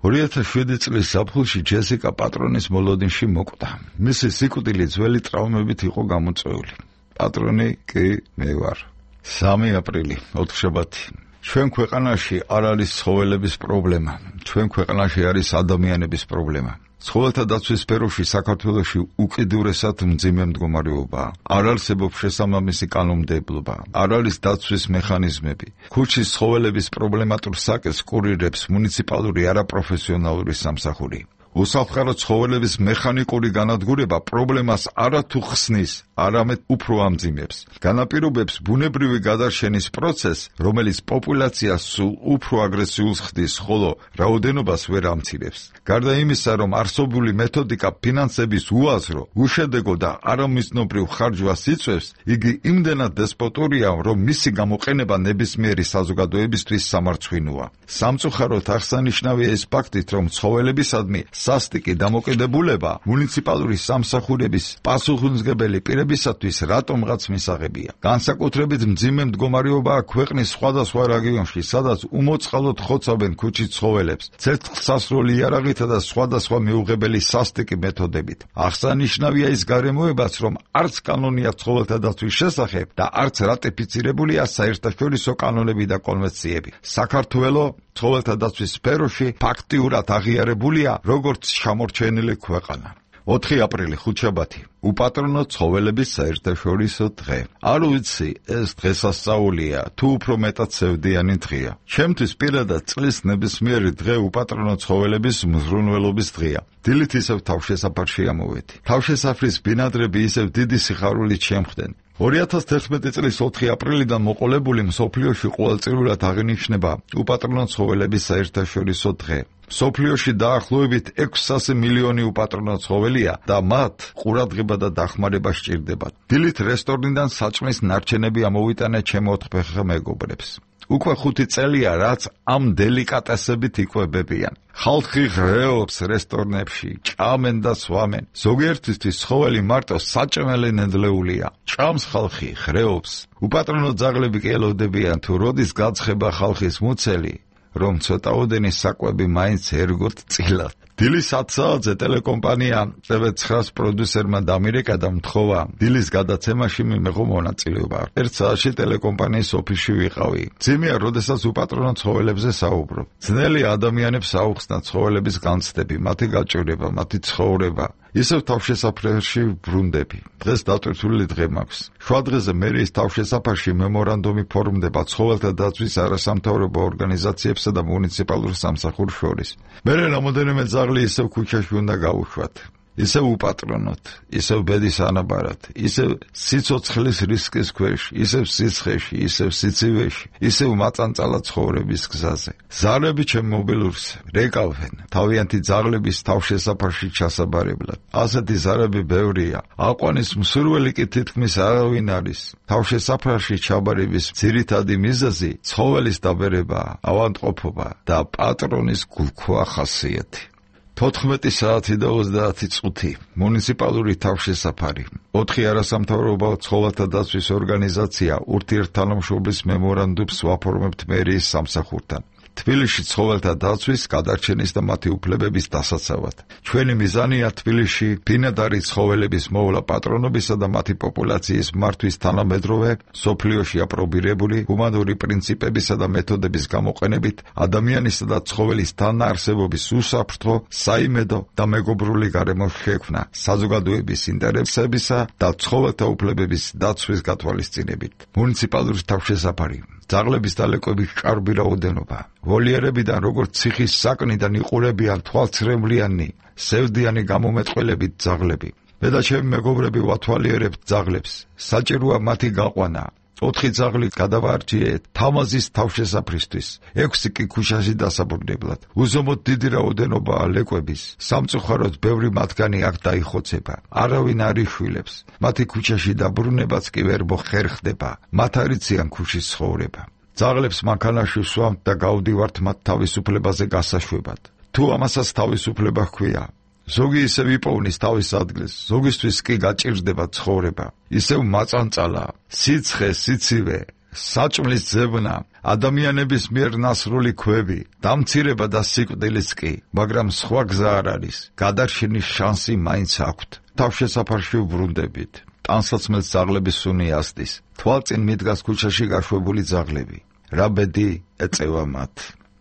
ორი ათას შვიდი წლის ზაფხულში ჯესიკა პატრონის მოლოდინში მოკვდა. მისი სიკვდილი ძველი ტრავმებით იყო გამოწვეული. პატრონი კი მე ვარ. სამი აპრილი, ოთხშაბათი. ჩვენ ქვეყანაში არ არის ცხოველების პრობლემა. ჩვენ ქვეყანაში არის ადამიანების პრობლემა. ცხოველთა დაცვის სფეროში საქართველოში უკიდურესად მძიმე მდგომარეობაა. არ არსებობს შესაბამისი კანონმდებლობა. არ არის დაცვის მექანიზმები. ქუჩის ცხოველების პრობლემატურ საკეს კურირებს მუნიციპალური არაპროფესიონალური სამსახური. უსაფრთხო ცხოველების მექანიკური განადგურება პრობლემას არათუ ხსნის, არამედ უფრო ამძიმებს. განაპირობებს ბუნებრივი გადარჩენის პროცესს, რომელიც პოპულაციას სულ უფრო აგრესიულს ხდის, ხოლო რაოდენობას ვერ ამცირებს. გარდა იმისა, რომ არსობული მეთოდიკა ფინანსების უაზრო, უშედეგო და არამიზნობრივ ხარჯვას იწვევს, იგი იმდენად დესპოტურია, რომ მისი გამოყენება ნებისმიერი საზოგადოებისთვის სამარცხვინოა. სამწუხაროდ აღსანიშნავია ეს ფაქტით, რომ ცხოველებისადმი სასტიკი დამოკიდებულება მუნიციპალური სამსახურების პასუხისმგებელი პირებისათვის რატომღაც მისაღებია. განსაკუთრებით მძიმე მდგომარეობაა ქვეყნის სხვადასხვა რეგიონში, სადაც უმოწყალოდ ხოცავენ ქუჩის ცხოველებს, ცეცხლსასროლი იარაღითა და სხვადასხვა მიუღებელი სასტიკი მეთოდებით. აღსანიშნავია ის გარემოებაც, რომ არც კანონია ცხოველთა დაცვის შესახებ და არც რატიფიცირებულია საერთაშორისო კანონები და კონვენციები. საქართველო ცხოველთა დაცვის სფეროში ფაქტიურად აღიარებულია როგორც შემორჩენილი ქვეყანა. ოთხი აპრილი ხუთშაბათი უპატრონო ცხოველების საერთაშორისო დღე. არ ვიცი, ეს დღესასწაულია თუ უფრო მეტად სევდიანი დღეა. ჩემთვის პირადად წლის ნებისმიერი დღე უპატრონო ცხოველების მზრუნველობის დღეა. დილით ისევ თავშესაფარში ამოვედი. თავშესაფრის ბინადრები ისევ დიდი სიხარულით შემხდნენ. ორი ათას თერთმეტი წლის ოთხი აპრილიდან მოყოლებული მსოფლიოში ყოველწლიურად აღინიშნება უპატრონო ცხოველების საერთაშორისო დღე. მსოფლიოში დაახლოებით ექვსასი მილიონი უპატრონო ცხოველია და მათ ყურადღება და დახმარება სჭირდებათ. დილით რესტორნიდან საჭმლის ნარჩენები ამოვიტანე ჩემ ოთხფეხა მეგობრებს. უკვე ხუთი წელია, რაც ამ დელიკატესებით იკვებებიან. ხალხი ღრეობს რესტორნებში, ჭამენ და სვამენ. ზოგიერთისთვის ცხოველი მარტო საჭმელი ნედლეულია. ჭამს ხალხი, ღრეობს. უპატრონო ძაღლები კი ელოდებიან, თუ როდის გაცხება ხალხის მუცელი, რომ ცოტაოდენი საკვები მაინც ერგოთ წილად. დილის ათ საათზე ტელეკომპანია ტევ ცხრას პროდიუსერმა დამირეკა და მთხოვა დილის გადაცემაში მიმეღო მონაწილეობა. ერთ საათში ტელეკომპანიის ოფისში ვიყავი. ძიმეა, როდესაც უპატრონო ცხოველებზე საუბრობ. ძნელია ადამიანებს აუხსნათ ცხოველების განცდები, მათი გაჭირება, მათი ცხოვრება. ისევ თავშესაფარში ბრუნდები. დღეს დატვირთული დღე მაქვს. შუადღეზე მერიის თავშესაფარში მემორანდუმი ფორმდება ცხოველთა დაცვის არასამთავრობო ორგანიზაციებსა და მუნიციპალურ სამსახურს შორის. მერე რამოდენიმე ძაღლი ისევ ქუჩაში უნდა გაუშვათ. ისევ უპატრონოთ, ისევ ბედის ანაბარად, ისევ სიცოცხლის რისკის ქვეშ, ისევ სიცხეში, ისევ სიცივეში, ისევ მაწანწალა ცხოვრების გზაზე. ზარები ჩემ მობილურს რეკავენ თავიანთი ძაღლების თავშესაფარში ჩასაბარებლად. ასეთი ზარები ბევრია. აყვანის მსურველი კი თითქმის არავინ არის. თავშესაფარში ჩაბარების ძირითადი მიზეზი ცხოველის დაბერება, ავადმყოფობა და პატრონის გულქვა ხასიათი. თოთხმეტი საათი და ოცდაათი წუთი მუნიციპალური თავშესაფარი. ოთხი არასამთავრობო ცხოველთა დაცვის ორგანიზაცია ურთიერთთანამშრომლის მემორანდუმს ვაფორმებთ მერიის სამსახურთან. თბილისში ცხოველთა დაცვის, გადარჩენის და მათი უფლებების დასაცავად. ჩვენი მიზანია თბილისში ბინადარი ცხოველების მოვლა პატრონობისა და მათი პოპულაციის მართვის თანამედროვე, სოფლიოში აპრობირებული ჰუმანური პრინციპებისა და მეთოდების გამოყენებით ადამიანისა და ცხოველის თანაარსებობის უსაფრთხო, საიმედო და მეგობრული გარემო შექმნა საზოგადოების ინტერესებისა და ცხოველთა უფლებების დაცვის გათვალისწინებით. მუნიციპალური თავშესაფარი. ძაღლების დალეკვების კარგი რაოდენობა. ვოლიერებიდან როგორც ციხის საკნიდან იყურებიან თვალცრემლიანი, სევდიანი გამომეტყველებით ძაღლები. მე და ჩემი მეგობრები ვათვალიერებთ ძაღლებს. საჭიროა მათი გაყვანა. ოთხი ძაღლი გადავარჩიეთ თამაზის თავშესაფრისთვის, ექვსი კი ქუჩაში დასაბრუნებლად. უზომოდ დიდი რაოდენობაა ლეკვების. სამწუხაროდ ბევრი მათგანი აქ დაიხოცება. არავინ არ იშვილებს. მათი ქუჩაში დაბრუნებაც კი ვერ მოხერხდება. მათ არ იციან ქუჩის ცხოვრება. ძაღლებს მანქანაში ვსვამთ და გავდივართ მათ თავისუფლებაზე გასაშვებად. თუ ამასაც თავისუფლება ჰქვია, ზოგი ისევ იპოვნის თავის ადგილს, ზოგისთვის კი გაჭირდება ცხოვრება. ისევ მაწანწალა, სიცხე, სიცივე, საჭმლის ძებნა, ადამიანების მიერ ნასრული ქვები, დამცირება და სიკვდილიც კი, მაგრამ სხვა გზა არ არის. გადარჩენის შანსი მაინც აქვთ. თავშესაფარში ვბრუნდებით. ტანსაცმელს ძაღლების სუნი ასდის. თვალწინ მიდგას ქუჩაში გაშვებული ძაღლები. რა ბედი ეწევა მათ.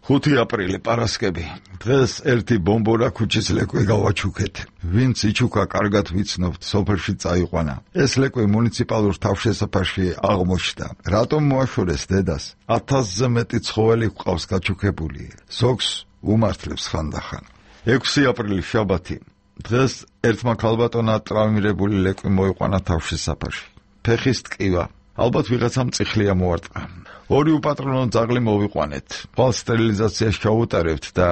ხუთი აპრილი პარასკევი. დღეს ერთი ბომბორა ქუჩის ლეკვე გავაჩუქეთ. ვინც იჩუქა, კარგად ვიცნობთ, სოფელში წაიყვანა. ეს ლეკვე მუნიციპალურ თავშესაფარში აღმოჩნდა. რატომ მოაშორეს დედას? ათასზე მეტი ცხოველი გვყავს გაჩუქებული. ზოგს უმართლებს ხანდახან. ექვსი აპრილი შაბათი. დღეს ერთმა ქალბატონმა ტრავმირებული ლეკვი მოიყვანა თავში საფარში. ფეხის ტკივა. ალბათ ვიღაცამ წიხლია მოარტყა. ორი უპატრონო ძაღლი მოვიყვანეთ. ხვალ სტერილიზაციაში ჩავუტარებთ და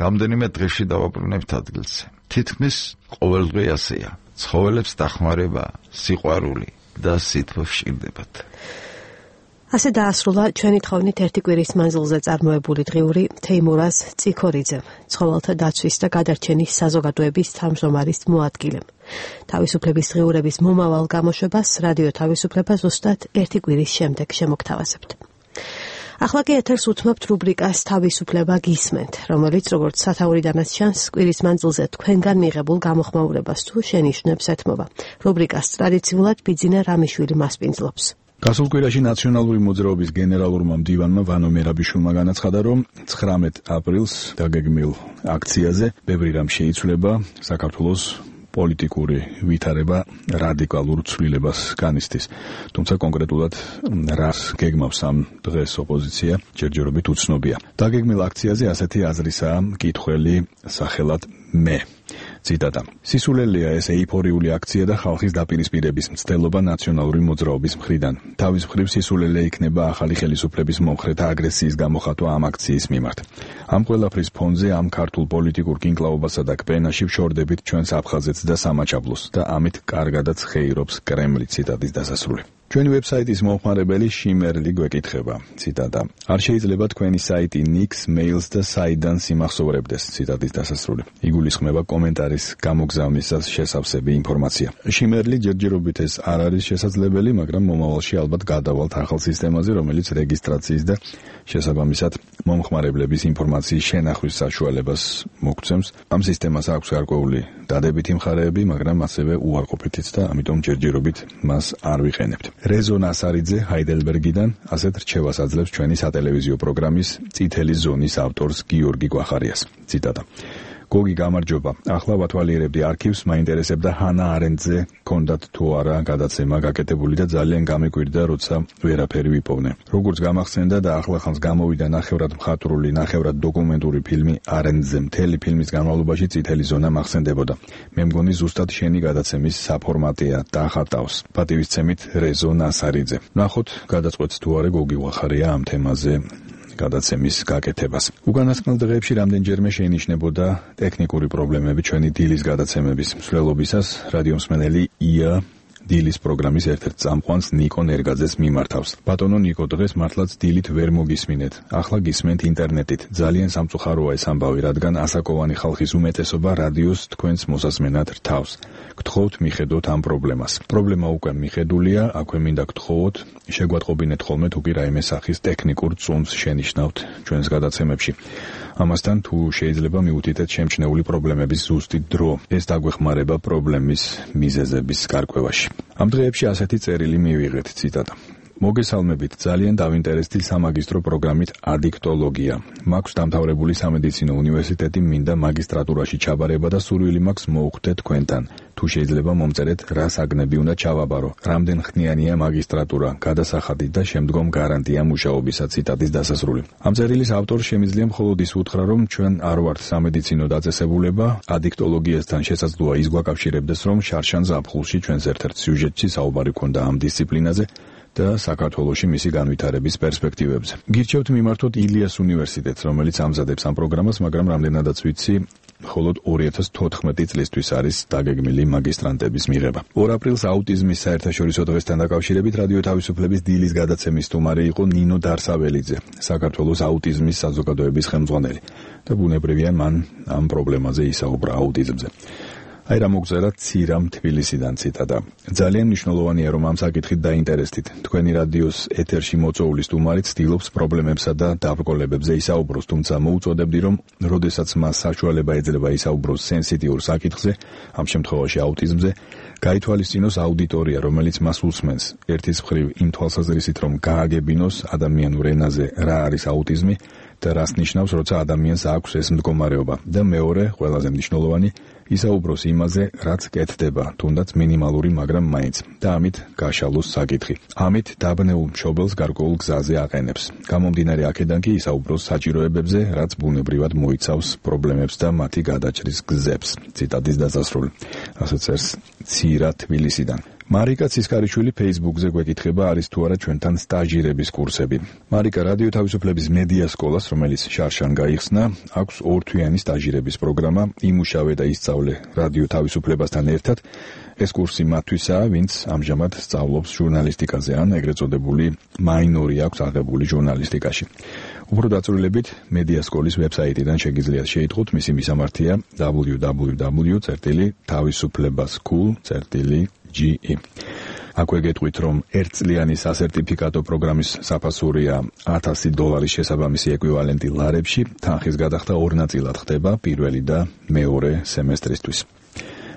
რამდენიმე დღეში დავაბრუნებთ ადგილზე. თითქმის ყოველდღე ასეა. ცხოველებს დახმარება, სიყვარული და სითბო ვშირდებათ. ასე დაასრულა ჩვენი თხოვნით ერთი კვირის მანძილზე წარმოებული დღიური თეიმურაზ წიქორიძემ, ცხოველთა დაცვის და გადარჩენის საზოგადოების თავმჯდომარის მოადგილემ. თავისუფლების დღიურების მომავალ გამოშვებას რადიო თავისუფლება ზუსტად ერთი კვირის შემდეგ შემოგთავაზებთ. ახლა კი ეთერს უთმობთ რუბრიკას თავისუფლება გისმენთ, რომელიც როგორც სათაურიდანაც ჩანს, კვირის მანძილზე თქვენგან მიღებულ გამოხმაურებას თუ შენიშვნებს ეთმობა. რუბრიკას ტრადიციულად ბიძინა რამიშვილი მასპინძლობს. გასულ კვირაში ნაციონალური მოძრაობის გენერალურმა მდივანმა ვანო მერაბიშვილმა განაცხადა, რომ ცხრამეტ აპრილს დაგეგმილ აქციაზე ბევრი რამ შეიცვლება, საქართველოს პოლიტიკური ვითარება რადიკალურ ცვლილებას განიცდის. თუმცა კონკრეტულად რას გეგმავს ამ დღეს ოპოზიცია, ჯერჯერობით უცნობია. დაგეგმილ აქციაზე ასეთი აზრისაა მკითხველი სახელად მე. ციტატა. სისულელია ეს ეიფორიული აქცია და ხალხის დაპირისპირების მცდელობა ნაციონალური მოძრაობის მხრიდან. თავის მხრივ სისულელე იქნება ახალი ხელისუფლების მომხრეთა აგრესიის გამოხატვა ამ აქციის მიმართ. ამ ყველაფრის ფონზე ამ ქართულ პოლიტიკურ კინკლაობასა და კპენაში ვშორდებით ჩვენს აფხაზეთს და სამაჩაბლოს და ამით კარგადაც ხეირობს კრემლი. ციტატის დასასრული. ჩვენი ვებსაიტის მომხმარებელი შიმერლი გვეკითხება, ციტატა. არ შეიძლება თქვენი საიტი ნიქს, მეილს და საიდან სიმახსოვრებდეს, ციტატის დასასრული. იგულისხმება კომენტარის გამოგზავნისას შესავსები ინფორმაცია. შიმერლი ჯერჯერობით ეს არ არის შესაძლებელი, მაგრამ მომავალში ალბათ გადავალთ ახალ სისტემაზე, რომელიც რეგისტრაციის და შესაბამისად მომხმარებლების ინფორმაციის შენახვის საშუალებას მოგცემს. ამ სისტემას აქვს გარკვეული დადებითი მხარეები, მაგრამ ასევე უარყოფითიც და ამიტომ ჯერჯერობით მას არ ვიყენებთ. რეზო ნასარიძე ჰაიდელბერგიდან ასეთ რჩევას აძლევს ჩვენი სატელევიზიო პროგრამის წითელი ზონის ავტორს გიორგი გვახარიას. ციტატა. გოგი გამარჯობა. ახლა ვათვალიერებდი არქივს, მაინტერესებდა ჰანა არენდზე კონდათ თუ არა გადაცემა გაკეთებული და ძალიან გამეკვირდა, როცა ვერაფერი ვიპოვნე. როგორც გამახსენდა და ახლახანს გამოვიდა ნახევრად მხატვრული, ნახევრად დოკუმენტური ფილმი არენდზე. მთელი ფილმის განმავლობაში წითელი ზონა მახსენდებოდა. მე მგონი ზუსტად შენი გადაცემის საფორმატია, დახატავს. პატივისცემით რეზო ნასარიძე. ნახოთ, გადაწყვეტს თუ არა გოგი გვახარია ამ თემაზე გადაცემის გაკეთებას. უკანასკნელ დღეებში რამდენჯერმე შეინიშნებოდა ტექნიკური პრობლემები ჩვენი დილის გადაცემების მსვლელობისას. რადიომსმენელი ია დილის პროგრამის ერთ-ერთ წამყვანს ნიკო ნერგაძეს მიმართავს. ბატონო ნიკო, დღეს მართლაც დილით ვერ მოგისმინეთ. ახლა გისმენთ ინტერნეტით. ძალიან სამწუხაროა ეს ამბავი, რადგან ასაკოვანი ხალხის უმეტესობა რადიოს თქვენს მოსასმენად რთავს. გთხოვთ მიხედოთ ამ პრობლემას. პრობლემა უკვე მიხედულია, აქვე მინდა გთხოვოთ, შეგვატყობინეთ ხოლმე თუ კი რაიმე სახის ტექნიკურ წუნს შენიშნავთ ჩვენს გადაცემებში. ამასთან თუ შეიძლება მიუთითეთ შემჩნეული პრობლემების ზუსტი დრო. ეს დაგვეხმარება პრობლემის მიზეზების გარკვევაში. ამ დღეებში ასეთი წერილი მივიღეთ, ციტატა. მოგესალმებით, ძალიან დავინტერესდი სამაგისტრო პროგრამით ადიქტოლოგია. მაქვს დამთავრებული სამედიცინო უნივერსიტეტი, მინდა მაგისტრატურაში ჩაბარება და სურვილი მაქვს მოუხდე თქვენთან. თუ შეიძლება მომწერეთ, რა საგნები უნდა ჩავაბარო, რამდენ ხნიანია მაგისტრატურა, გადასახადი და შემდგომ გარანტია მუშაობისა. ციტატის დასასრული. ამ წერილის ავტორს შემიძლია მხოლოდ ის უთხრა, რომ ჩვენ არ ვართ სამედიცინო დაწესებულება, ადიქტოლოგიასთან შესაძლოა ის გვაკავშირებდეს, რომ შარშან ზაფხულში ჩვენს ერთ-ერთ სიუჟეტში საუბარი ქონდა ამ დისციპლინაზე და საქართველოში მისი განვითარების პერსპექტივებზე. გირჩევთ მიმართოთ ილიას უნივერსიტეტს, რომელიც ამზადებს ამ პროგრამას, მაგრამ რამდენადაც ვიცი, მხოლოდ ორი ათას თოთხმეტი წლისთვის არის დაგეგმილი მაგისტრანტების მიღება. ორ აპრილს აუტიზმის საერთაშორისო დღესთან დაკავშირებით რადიო თავისუფლების დილის გადაცემის სტუმარი იყო ნინო დარსაველიძე, საქართველოს აუტიზმის საზოგადოების ხელმძღვანელი და ბუნებრივია მან ამ პრობლემაზე ისაუბრა აუტიზმზე. აი რა მოგწერა ცირამ თბილისიდან, ციტატა. ძალიან მნიშვნელოვანია, რომ ამ საკითხით დაინტერესდით. თქვენი რადიოს ეთერში მოწვეული სტუმარი ცდილობს პრობლემებსა და დაბრკოლებებზე ისაუბროს, თუმცა მოუწოდებდი, რომ როდესაც მას საშუალება ეძლევა ისაუბროს სენსიტიურ საკითხზე, ამ შემთხვევაში აუტიზმზე, გაითვალისწინოს აუდიტორია, რომელიც მას უსმენს. ერთის მხრივ იმ თვალსაზრისით, რომ გააგებინოს ადამიანურ ენაზე რა არის აუტიზმი და რას ნიშნავს, როცა ადამიანს აქვს ეს მდგომარეობა. და მეორე, ყველაზე მნიშვნელოვანი, ისაუბროს იმაზე, რაც კეთდება, თუნდაც მინიმალური, მაგრამ მაინც და ამით გაშალოს საკითხი. ამით დაბნეულ მშობელს გარკვეულ გზაზე აყენებს. გამომდინარე აქედან კი ისაუბროს საჭიროებებზე, რაც ბუნებრივად მოიცავს პრობლემებს და მათი გადაჭრის გზებს. ციტატის დასასრული. ასე წერს ცირა თბილისიდან. მარიკა ცისკარიშვილი Facebook-ზე გვეკითხება, არის თუ არა ჩვენთან სტაჟირების კურსები. მარიკა რადიო თავისუფლების მედია სკოლას, რომელიც შარშან გაიხსნა, აქვს ორთვიანი სტაჟირების პროგრამა, იმუშავე და ისწავლე რადიო თავისუფლებასთან ერთად. ეს კურსი მათთვისაა, ვინც ამჟამად სწავლობს ჟურნალისტიკაზე ან ეგრეთ წოდებული მაინორი აქვს აღებული ჟურნალისტიკაში. უფრო დაწვრილებით მედია სკოლის ვებსაიტიდან შეგიძლიათ შეიტყოთ, მისი მისამართია დაბლიუ დაბლიუ დაბლიუ წერტილი თავისუფლება.school წერტილი ჯი ი. აქვე გეტყვით, რომ ერთწლიანი სასერტიფიკატო პროგრამის საფასურია ათასი დოლარის შესაბამისი ეკვივალენტი ლარებში, თანხის გადახდა ორ ნაწილად ხდება პირველი და მეორე სემესტრისთვის.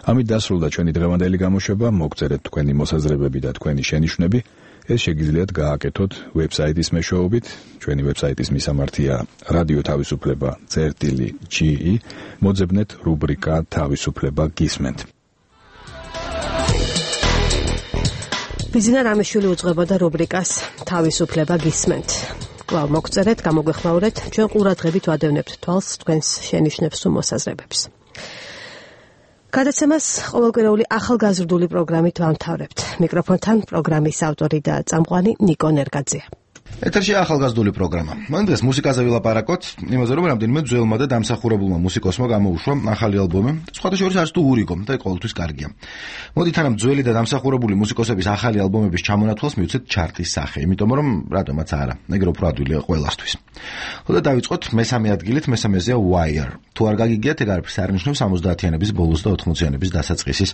ამით დასრულდა ჩვენი დღევანდელი გამოშვება, მოგწერეთ თქვენი მოსაზრებები და თქვენი შენიშვნები. ეს შეგიძლიათ გააკეთოთ ვებსაიტის მეშვეობით. ჩვენი ვებსაიტის მისამართია რადიო თავისუფლება წერტილი ჯი ი. მოძებნეთ რუბრიკა თავისუფლება გისმენთ. ბიზნა რამეშვილი უძღვებოდა რუბრიკას თავისუფლება გისმენთ. კვლავ მოგწერეთ, გამოგვეხმაურეთ, ჩვენ ყურადღებით ვადევნებთ თვალს თქვენს შენიშვნებს თუ მოსაზრებებს. გადაცემას ყოველკვირეული ახალგაზრდული პროგრამით ვამთავრებთ. მიკროფონთან პროგრამის ავტორი და წამყვანი ნიკო ნერგაძეა. ეთერში ახალგაზრდული პროგრამა. მან დღეს მუსიკაზე ვილაპარაკოთ, იმაზე რომ რამდენიმე ძველმა და დამსახურებულმა მუსიკოსმა გამოუშვა ახალი ალბომი, სხვათა შორის არც თუ ურიგო და ყოველთვის კარგია. მოდით თანამ ძველი და დამსახურებული მუსიკოსების ახალი ალბომების ჩამონათვალს მივცეთ ჩარტის სახე, იმიტომ რომ რატომაც არა, ეგრე უფრო ადვილია ყველასთვის. ხოდა დავიწყოთ მესამე ადგილით, მესამეზეა Wire. თუ არ გაგიგიათ, ეგ არაფერს არ ნიშნავს ორმოცდაათიანების ბოლოს და ოთხმოციანების დასაწყისის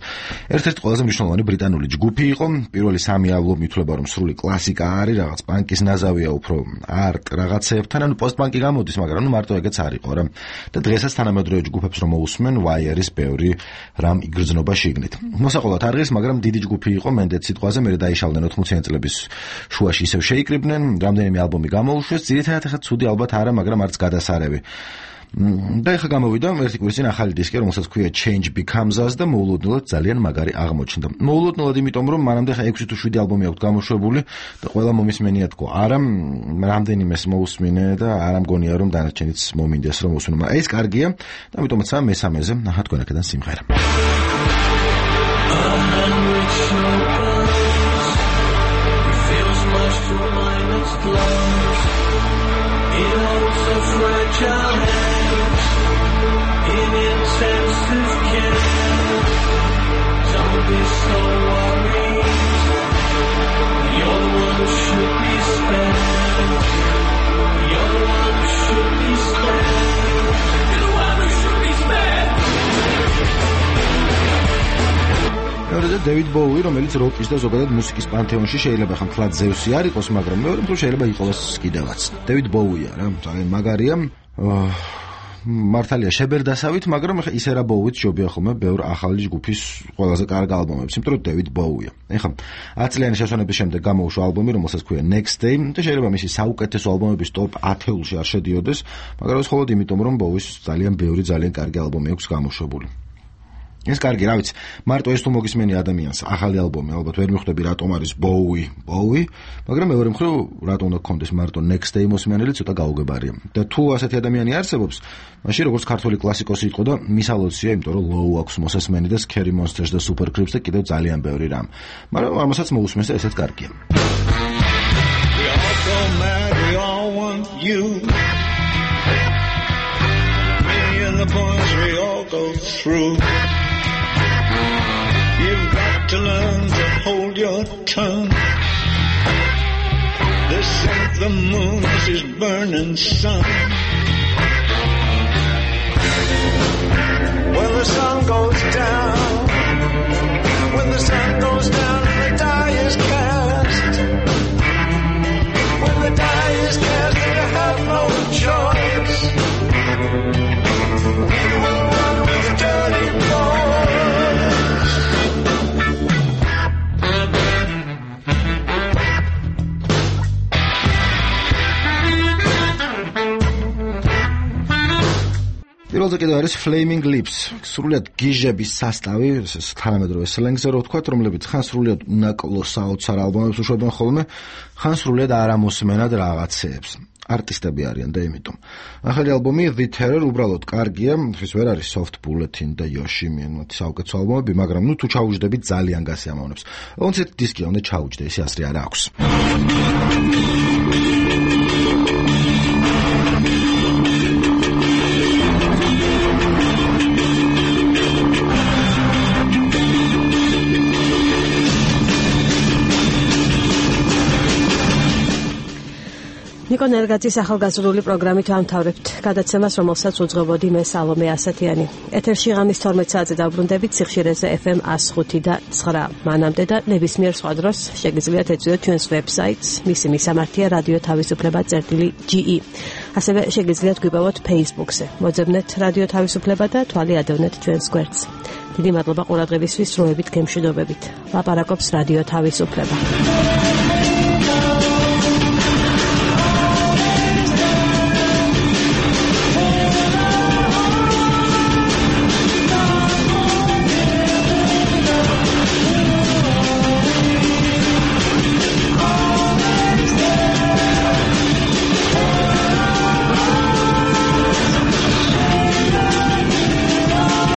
ერთ-ერთი ყველაზე მნიშვნელოვანი ბრიტანული ჯგუფი იყო. პირველი სამი ალბომი ითვლება რომ სრული კლასიკა არის, რაღაც პანკის ნაზავია უფრო არტ რაღაცეებთან, ანუ პოსტ-პანკი გამოდის, მაგრამ ნუ მარტო ეგეც არ იყო რა. და დღესაც თანამედროვე ჯგუფებს რომ მოусმენ, Wire-ის ბევრი რამ იგრძნობა შიგნით. მოსაყოლად არ ღირს, მაგრამ დიდი ჯგუფი იყო მენდეც სიტყვაზე, მერე დაიშალდნენ ოთხმოციანი წლების შუაში ისევ შეიკრიბნენ, რამდენიმე ალბომი გამოუშვეს, ძირითადად ახლა ცუდი ალბათ არა, მაგრამ არც გადასარევი. და ეხა გამოვიდა ერთი კვირის წინ ახალი დისკი, რომელსაც ქვია Change Becomes Us და მოულოდნელად ძალიან მაგარი აღმოჩნდა. მოულოდნელად იმიტომ, რომ მანამდე ხა ექვსი თუ შვიდი ალბომი აქვს გამოშვებული და ყველა მომისმენია თქო. არა, რამდენიმეს მოусმინე და არ ამგონია რომ დანარჩენიც მომინდეს რომ მოსვენო. მაგრამ ეს კარგია და ამიტომაც მესამეზე ნახა თქვენ აქედან სიმღერა. Fragile hands in intensive care. Don't be so worried. You're the one who should be spared. You're the one who should be spared. You're the one who should be spared. მეორე დევიდ ბოუი, რომელიც როკის და ზოგადად მუსიკის პანთეონში შეიძლება ხან თლად ზევსი არ იყოს, მაგრამ მეორე მხრივ შეიძლება იყოს კიდევაც. დევიდ ბოუია რა, ძალიან მაგარია. მართალია შებერდასავით, მაგრამ ეხა ისე რა ბოუიც ჯობია ხოლმე ბევრ ახალი ჯგუფის ყველაზე კარგი ალბომებს, იმიტომ რომ დევიდ ბოუია. ეხა ათი წლიანი შესვენების შემდეგ გამოუშვა ალბომი, რომელსაც ქვია Next Day, და შეიძლება მისი საუკეთესო ალბომების ტოპ ათეულში არ შედიოდეს, მაგრამ ეს მხოლოდ იმიტომ, რომ ბოუის ძალიან ბევრი ძალიან კარგი ალბომი აქვს გამოშვებული. ეს კარგი, რა ვიცი, მარტო ეს თუ მოგისმენი ადამიანს ახალი ალბომი, ალბათ ვერ მიხვდები რატომ არის ბოუი, ბოუი, მაგრამ მეორე მხრივ რატომ უნდა გქონდეს მარტო Next Day მოსმენელი, ცოტა გაუგებარია. და თუ ასეთი ადამიანი არსებობს, მაშინ როგორც ქართული კლასიკოსი იყო და მისალოცია, იმიტომ რომ Low აქვს მოსასმენი და Scary Monsters და Super Creeps და კიდევ ძალიან ბევრი რამ. მაგრამ ამასაც მოусმენს და ესეც კარგია. We all go mad, we all want you. Me and the boys, we all go through. You've got to learn to hold your tongue. This ain't the moon, this is burning sun. When the sun goes down, when the sun goes down and the die is cast, when the die is cast and you have no choice, you will run with dirty boys. პირველზე კიდევ არის Flaming Lips, სრულიად გიჟების სასტავი, ეს თანამედროვე სლენგზე რო ვთქვათ, რომლებიც ხან სრულიად უნაკლო საოცარ ალბომებს უშვებენ ხოლმე, ხან სრულიად არამოსმენად რაღაცეებს. არტისტები არიან და იმიტომ. ახალი ალბომი The Terror უბრალოდ კარგია, ის ვერ არის Soft Bulletin და Yoshimi, მათი საუკეთესო ალბომები, მაგრამ ნუ თუ ჩაუჯდებით ძალიან გასიამოვნებს. კონცერტ დისკი უნდა ჩაუჯდე, ისე ასრი არა აქვს. ნიკო ნერგაძის ახალგაზრდული პროგრამით ვამთავრებთ გადაცემას, რომელსაც უძღვებოდი მე სალომე ასათიანი. ეთერში ღამის თორმეტ საათზე დავბრუნდებით სიხშირეზე ეფ ემ one oh five და nine. მანამდე და ნებისმიერ სხვა დროს შეგიძლიათ ეწვიოთ ჩვენს ვებსაიტს, მისი მისამართია რადიო თავისუფლება წერტილი ჯი ი. ასევე შეგიძლიათ გვიპოვოთ Facebook-ზე. მოძებნეთ რადიო თავისუფლება და თვალი ადევნეთ ჩვენს გვერდს. დიდი მადლობა ყურადღებისთვის, დროებით გემშვიდობებით. ლაპარაკობს რადიო თავისუფლება.